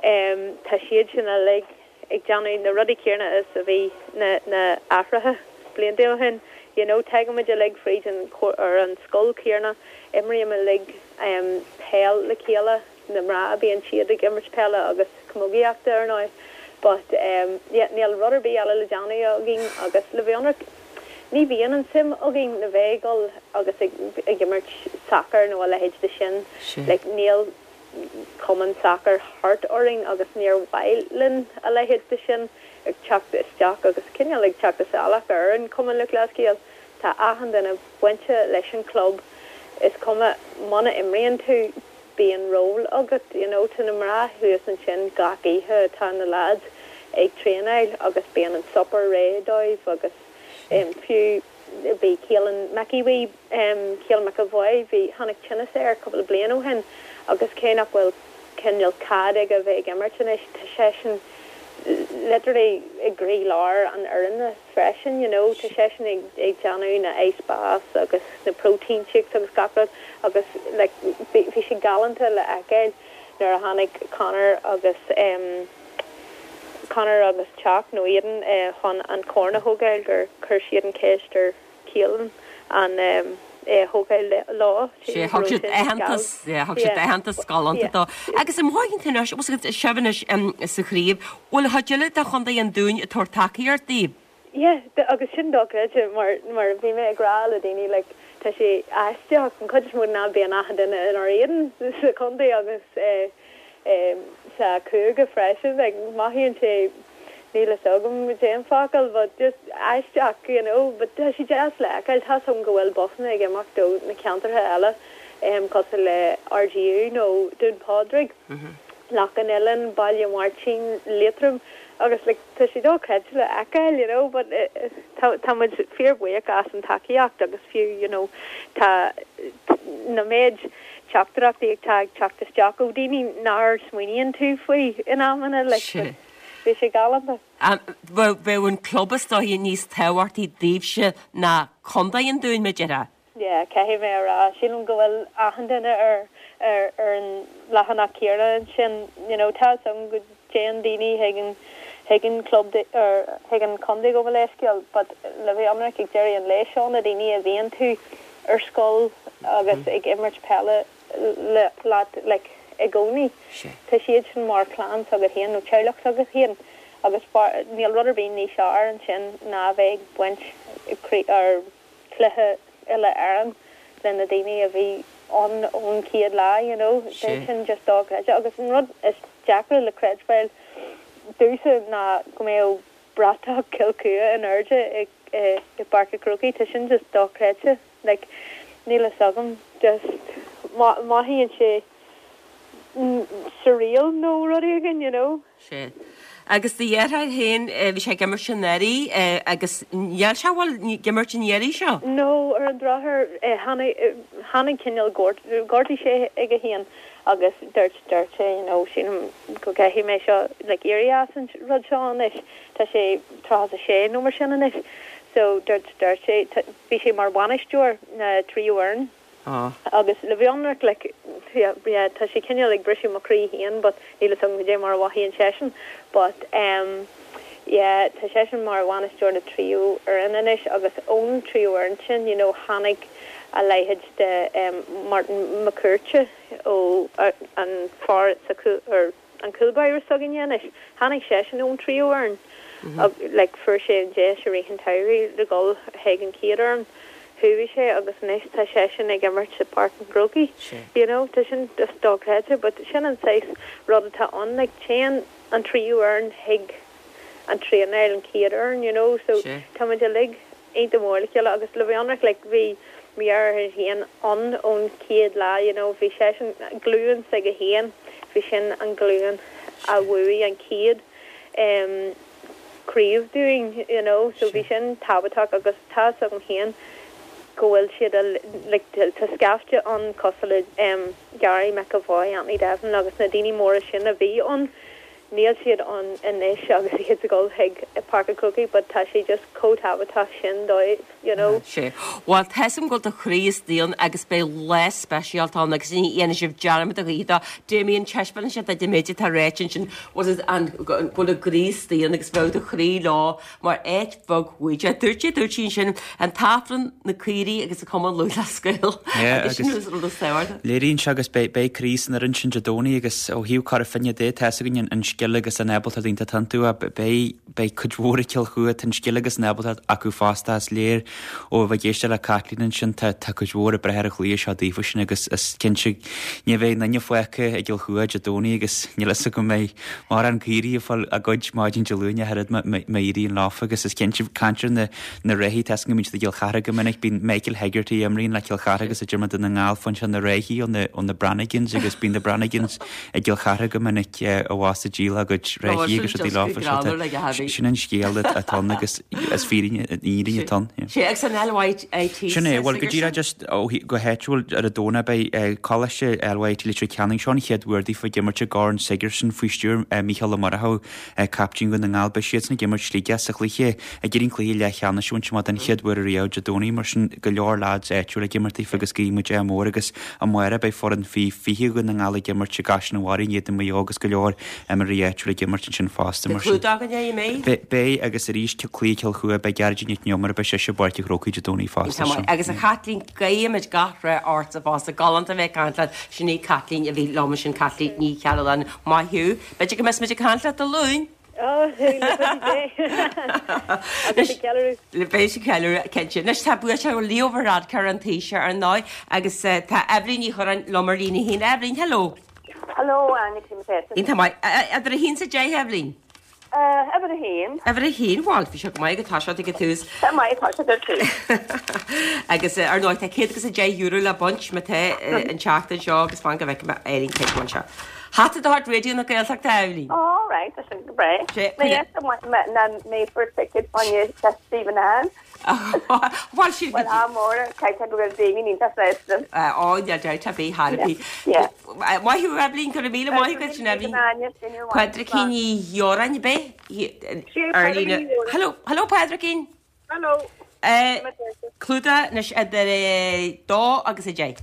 em tá siad sin uilig ag déanamh na rudaí céanna is a bhí na na haithreacha blianta ó shin you know tagann muid uilig fríd an ar an scoil céanna imrím uilig em peil le chéile na mná bíonn siad ag imirt peile agus camógaíochta ar ndóigh but um yeah níl rud ar bith eile le déanamh againn agus le bheith ionraic ní bhíonn an suim againn le bheith ag dul agus ag ag imirt sacar nó a leithéid de sin like níl cumann sacair thart orainn agus níor mhaith linn a leithéid de sin ag teacht isteach agus cineál ag teacht isteach ar an Cumann Lúthchleas Gael tá achan duine bainte leis an club is cuma muna imríonn tú bíonn ról agat you know tá na mná thuas ansin gach oíche tá na lads ag traenáil agus bíonn an supper réidh dóibh agus um, fiú bhí Keelan McEwee um, Keelan McAvoy bhí tháinig tinneas air cúpla bliain ó shin agus cé nach bhfuil cineál cead aige bheith ag imirt anois tá seisean literally i gcroílár an fhoirne freisin you know tá seisean ag ag déanamh na ice baths agus na protein shakes agus gach rud agus like bhí bhí sé galánta le feiceáil nuair a tháinig Conor agus um, Conor agus Teach nó iadn uh, chun an corn a thógáil gur chuir siad an ceist ar Keelan an um, é thógáil lá Sé thug siad aitheantas thug siad aitheantas galánta dó. Agus an mhaith anois sibh anois sa chraobh, bhfuil cuid eile de Chontae an Dúin ag tabhairt tacaíocht daoibh. Yeah, agus sin dochreidte mar mar bhí mé ag rá le daoine like tá sé aisteach an chuid is mó ná bíonn achan duine inár éadan sa chontae agus eh, eh, sa chúige freisin like mothaíonn sé níl a fhios agam déan focal but just aisteach you know but tá sé deas le feiceáil tá agam go bhfuil busanna ag imeacht ó na ceantartha eile um, cosúil le RGU nó Dún Pádraig mm -hmm. Loch an Oileáin Baile Mháirtín Liatroim agus like, tá sé dochreidte le feiceáil you know but uh, tá tá muid fíorbhuíoch as an tacaíocht agus fiú you know tá na méid teachtaireachtaí ag tag teacht isteach ó daoine nár smaoiníonn tú faoi in amanna like, bhí sé galánta. Bheadh an club is dóiche níos tábhachtaí daoibhse ná Contae an Dúin b'fhéidir. Yeah, caithfidh mé a rá sílim go bhfuil achan duine ar ar ar an leathanach céanna sin you know tá agam go dtéann daoine chuig an chuig an club ar chuig an chontae go leisceal, but le bheith ionraic ag deireadh an lae seo na daoine a bhíonn tú ar scoil agus mm. ag imirt peile le leat like i gcónaí. Tá siad sin mar clann agat féin nó teaghlach agat féin agus níl rud ar bith níos fearr ansin ná bheith ag baint ar cluiche uile Éireann le na daoine a bhí an ón chéad lá you know sin just dochreidte agus an rud is deacra le creidbheáil domhsa ná go mbeadh bratach Cill Chua in airde i i Páirc an Chrócaigh tá sin just dochreidte like níl a fhios agam just mothaíonn sé surreal nó rud éigin you know Sé. Agus do dheartháir féin bhí sé ag imirt anuraidh agus níl sé bhfuil ag imirt an iarraidh seo? No ar an drochuair tháinig cineál gortaigh sé aige féin agus dúirt dúirt sé you know sílim go gcaithfidh mé seo like éirí as an rud seo anois tá sé tríocha sé nó mar sin anois so dúirt dúirt sé bhí sé mar bhainisteoir na tríú fhoireann Ah. agus le bheith ionraic like yeah, yeah, tá sé cineál ag briseadh mo chroí féin but níl a fhios agam goidé mar a mhothaíonn seisean but um, yeah, tá seisean mar bhainisteoir na tríú fhoireann anois agus ón tríú fhoireann sin you know, tháinig a leithéid de um, Martin McCurte ó uh, an fear sa or an cúlbáire s'againne anois tháinig seisean ón tríú fhoireann mm -hmm. like fuair sé an deis i rith an tsamhraidh le dul chuig an chéad fhoireann chuaigh sé agus anois tá seisean ag imirt sa Páirc an Chrócaigh you know tá sin just dochreidte but sin an saghas rud atá ann like téann an tríú fhoireann chuig an traenáil an chéad fhoireann you know so tá muid uilig iontach mór le chéile agus le bheith ionraic like bhí mo dheartháir féin ann ón chéad lá you know bhí seisean glúin s'aige féin bhí sin an glúin a bhuaigh an chéad um craobh dúinn you know so bhí sin tábhachtach agus tá 'fhios agam féin go bhfuil siad a like tá scaifte ann cosúil le um Gary McAvoy, Anthony Devlin agus na daoine móra sin a bhí ann níl siad ann anois agus iad ag dul chuig Páirc an Chrócaigh but tá sé just chomh tábhachtach sin dóibh you know. Sea. Bhuel tá 'fhios agam go bhfuil do chroí istigh ann agus beidh lá speisialta ann agus ní dhéanfaidh sibh dearmad a choíche dó. Damien taispeánann sé duit an méid atá ráite ansin bhfuil an go bhfuil a gcroí istigh ann agus bheadh do chroí leo mar áit bheag bhuaidh. Dúirt sé dúirt sí ansin an tAifreann na caoirigh agus an Cumann Lúthchleas Gael Yeah, agus sin is rud is tábhachtaí. Léiríonn sé agus beidh beidh croí san fhoireann sin Dé Domhnaigh agus ó thaobh Cora Finne de tá 'fhios againn an scil agus an ábaltacht iontach iontu beidh beidh cuid mhór ag Cill Chua tá an scil agus an ábaltacht acu fosta is léir ó bheith ag éisteacht le Caitlín ansin tá tá cuid mhór ag breith ar an chluiche seo daofa sin agus is cinnte ní bheidh duine fágtha ag Cill Chua Dé Domhnaigh agus níl 'fhios agam an mbeidh mórán caoirigh ag fáil a gcuid maidin Dé Luain ach oiread má éiríonn leofa agus is cinnte caint ar na na reithí tá 'fhios agam go mbíonn siad i gCill Chartha go minic bíonn Michael Hegarty a imríonn le Cill Chartha agus a d'imir do na nGall faigheann sé na reithí ó na ó na Branigans agus bíonn na Branigans i gCill Chartha go minic a bhás a díol a gcuid reithí agus rudaí leofa sin an scéal atá ann agus is fírinne fhírinne atá ann. Sé agus an LYIT Sin é, bhuel go díreach just ó go háitiúil ar an Domhnach beidh Coláiste LYIT Leitir Ceanainn seo an chéad uair daofa ag imirt i gCorn Sigerson faoi stiúir Mícheál Ó Murchú captaen Dhún na nGall beidh siadsan ag imirt Sligeach sa chluiche ag iarraidh an cluiche leathcheannais a bhaint amach den chéad uair ariamh Dé Domhnaigh mar sin go leor lads áitiúil ag imirt daofa agus guíonn muid ádh mór agus amárach beidh foireann faoi fiche Dhún na nGall ag imirt i gCaiseal na Mara in éadan Mhaigh Eo agus go leor imreoirí áitiúil ag imirt ansin fosta mar sin. Clúdach an é mé? Beidh agus arís cluiche Cill Chua beidh Gearóidín Nic an Iomaire beidh sise i bPáirc an Chrócaigh Dé Domhnaigh fosta. Tá maith. Agus a Chaitlín guímid gach rath ortsa fosta galánta bheith ag caint leat sin í Caitlín a bhí liom sin Caitlín Ní Chearúláin maith thú. B'fhéidir go mbeidh muid ag caint leat Dé Luain. Oh, Agus ag ceiliúradh. Le beidh sí ceiliúradh cinnte. Anois tá buaiteoir Leo Varadkar an Taoiseach ar ndóigh agus eh, tá Eibhlín Ní Churráin liom ar líne a haon. Eibhlín, hello. Hello, Anna Kim Iontach maith. Idir a haon is a deich Eibhlín. Uimhir a haon. Uimhir a haon bhuel bhí sé go maith go tá sé ag tús. Tá maith tá sé tú. Agus eh, ar ndóigh tá céad agus a deich euro le baint má tá eh, an tseachtain seo agus fan go bhfeicfidh mé Eibhlín cé seo. Hata de chuid Raidió na Gaeltachta Eibhlín. All right, tá sin go breá. Sé- Na mé for ticket on Stephen Ann. Bhil sí Well á mór caiite go bhfuil daoine ní fé. á de tá bí Harpí. Yeah. Maith thú Eibhlín go míle maith go sin Eibhlín. Padraicín Ní Dheoráin bé ar líne. Hello, hello Padraicín. Hello. Eh, Clúdach anois idir eh, dó agus a deich.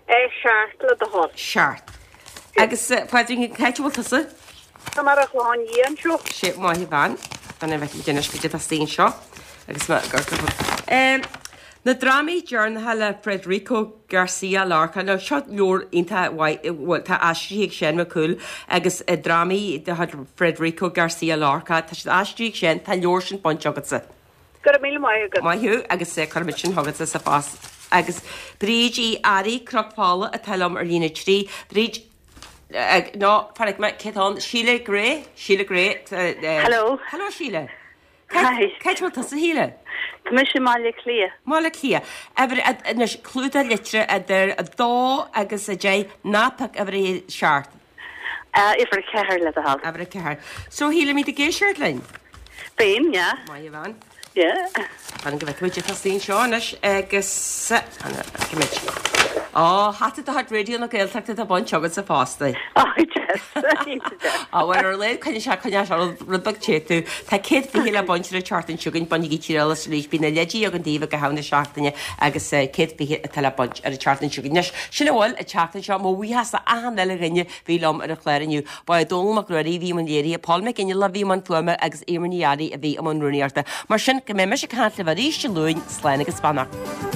É seacht le do thoil. Seacht. Agus eh, Padraicín cá bhfuil tusa? Tá mar a chláin dhéan seo. Sé maith bhean fan a bheith dénis go tá seo agus Um, na drámaí deireanacha le Federico Garcia Lorca nó seo leabhar iontach mhaith tá aistrithe ag Seán Mac Cumhaill agus eh, drámaí de chuid Federico Garcia Lorca tá siad aistrithe ag Seán tá leabhar sin bainte agatsa. Go raibh míle maith agat. Maith thú agus eh, cuirfimid sin chugatsa sa phost. Agus Bríd Uí Fhearraigh Cnoc Fola atá liom ar líne trí. Bríd ag nó fan mé cétán Síle Gré Síle Gré Hello. Hello Síle. Hi. Cé bhfuil tusa Shíle? Tá mise i mBaile Átha Cliath. Baile Átha Cliath. Anois clúdach litreach idir a dó agus a deich ná pioc uimhir a seacht. Uimhir a ceathair le do thoil. Uimhir a ceathair. So Shíle mí ag éisteacht linn? Bím, yeah. Maith bhean. Yeah. Fan go bhfeicfimid tá saoin seo anois agus feicfimid. Ó hata de chuid Raidió na Gaeltachta tá bainte agatsa fosta. Á bhfuil ar le chuine se chuine se rud beag téú Tá céad fiche le baint an tseachtain seo chugainn bainigí triail as arís bíonn na leidí ag an daoibh go ham na seachtaine agus eh, céad fiche atá le baint ar an tseachtain seo chugainn. Anois sin a bhfuil an tseachtain seo mo bhuíochas achan uile dhuine bhí liom ar an chlár inniu. Ba é Dónal Mac Ruairí bhí an léirithe, Paul McGinley a bhí an fuaime agus Éimear Ní Fhearraigh a bhí i mbun rúnaíochta. Mar sin go mbeidh mise ag caint libh arís Dé Luain, slán agus beannacht.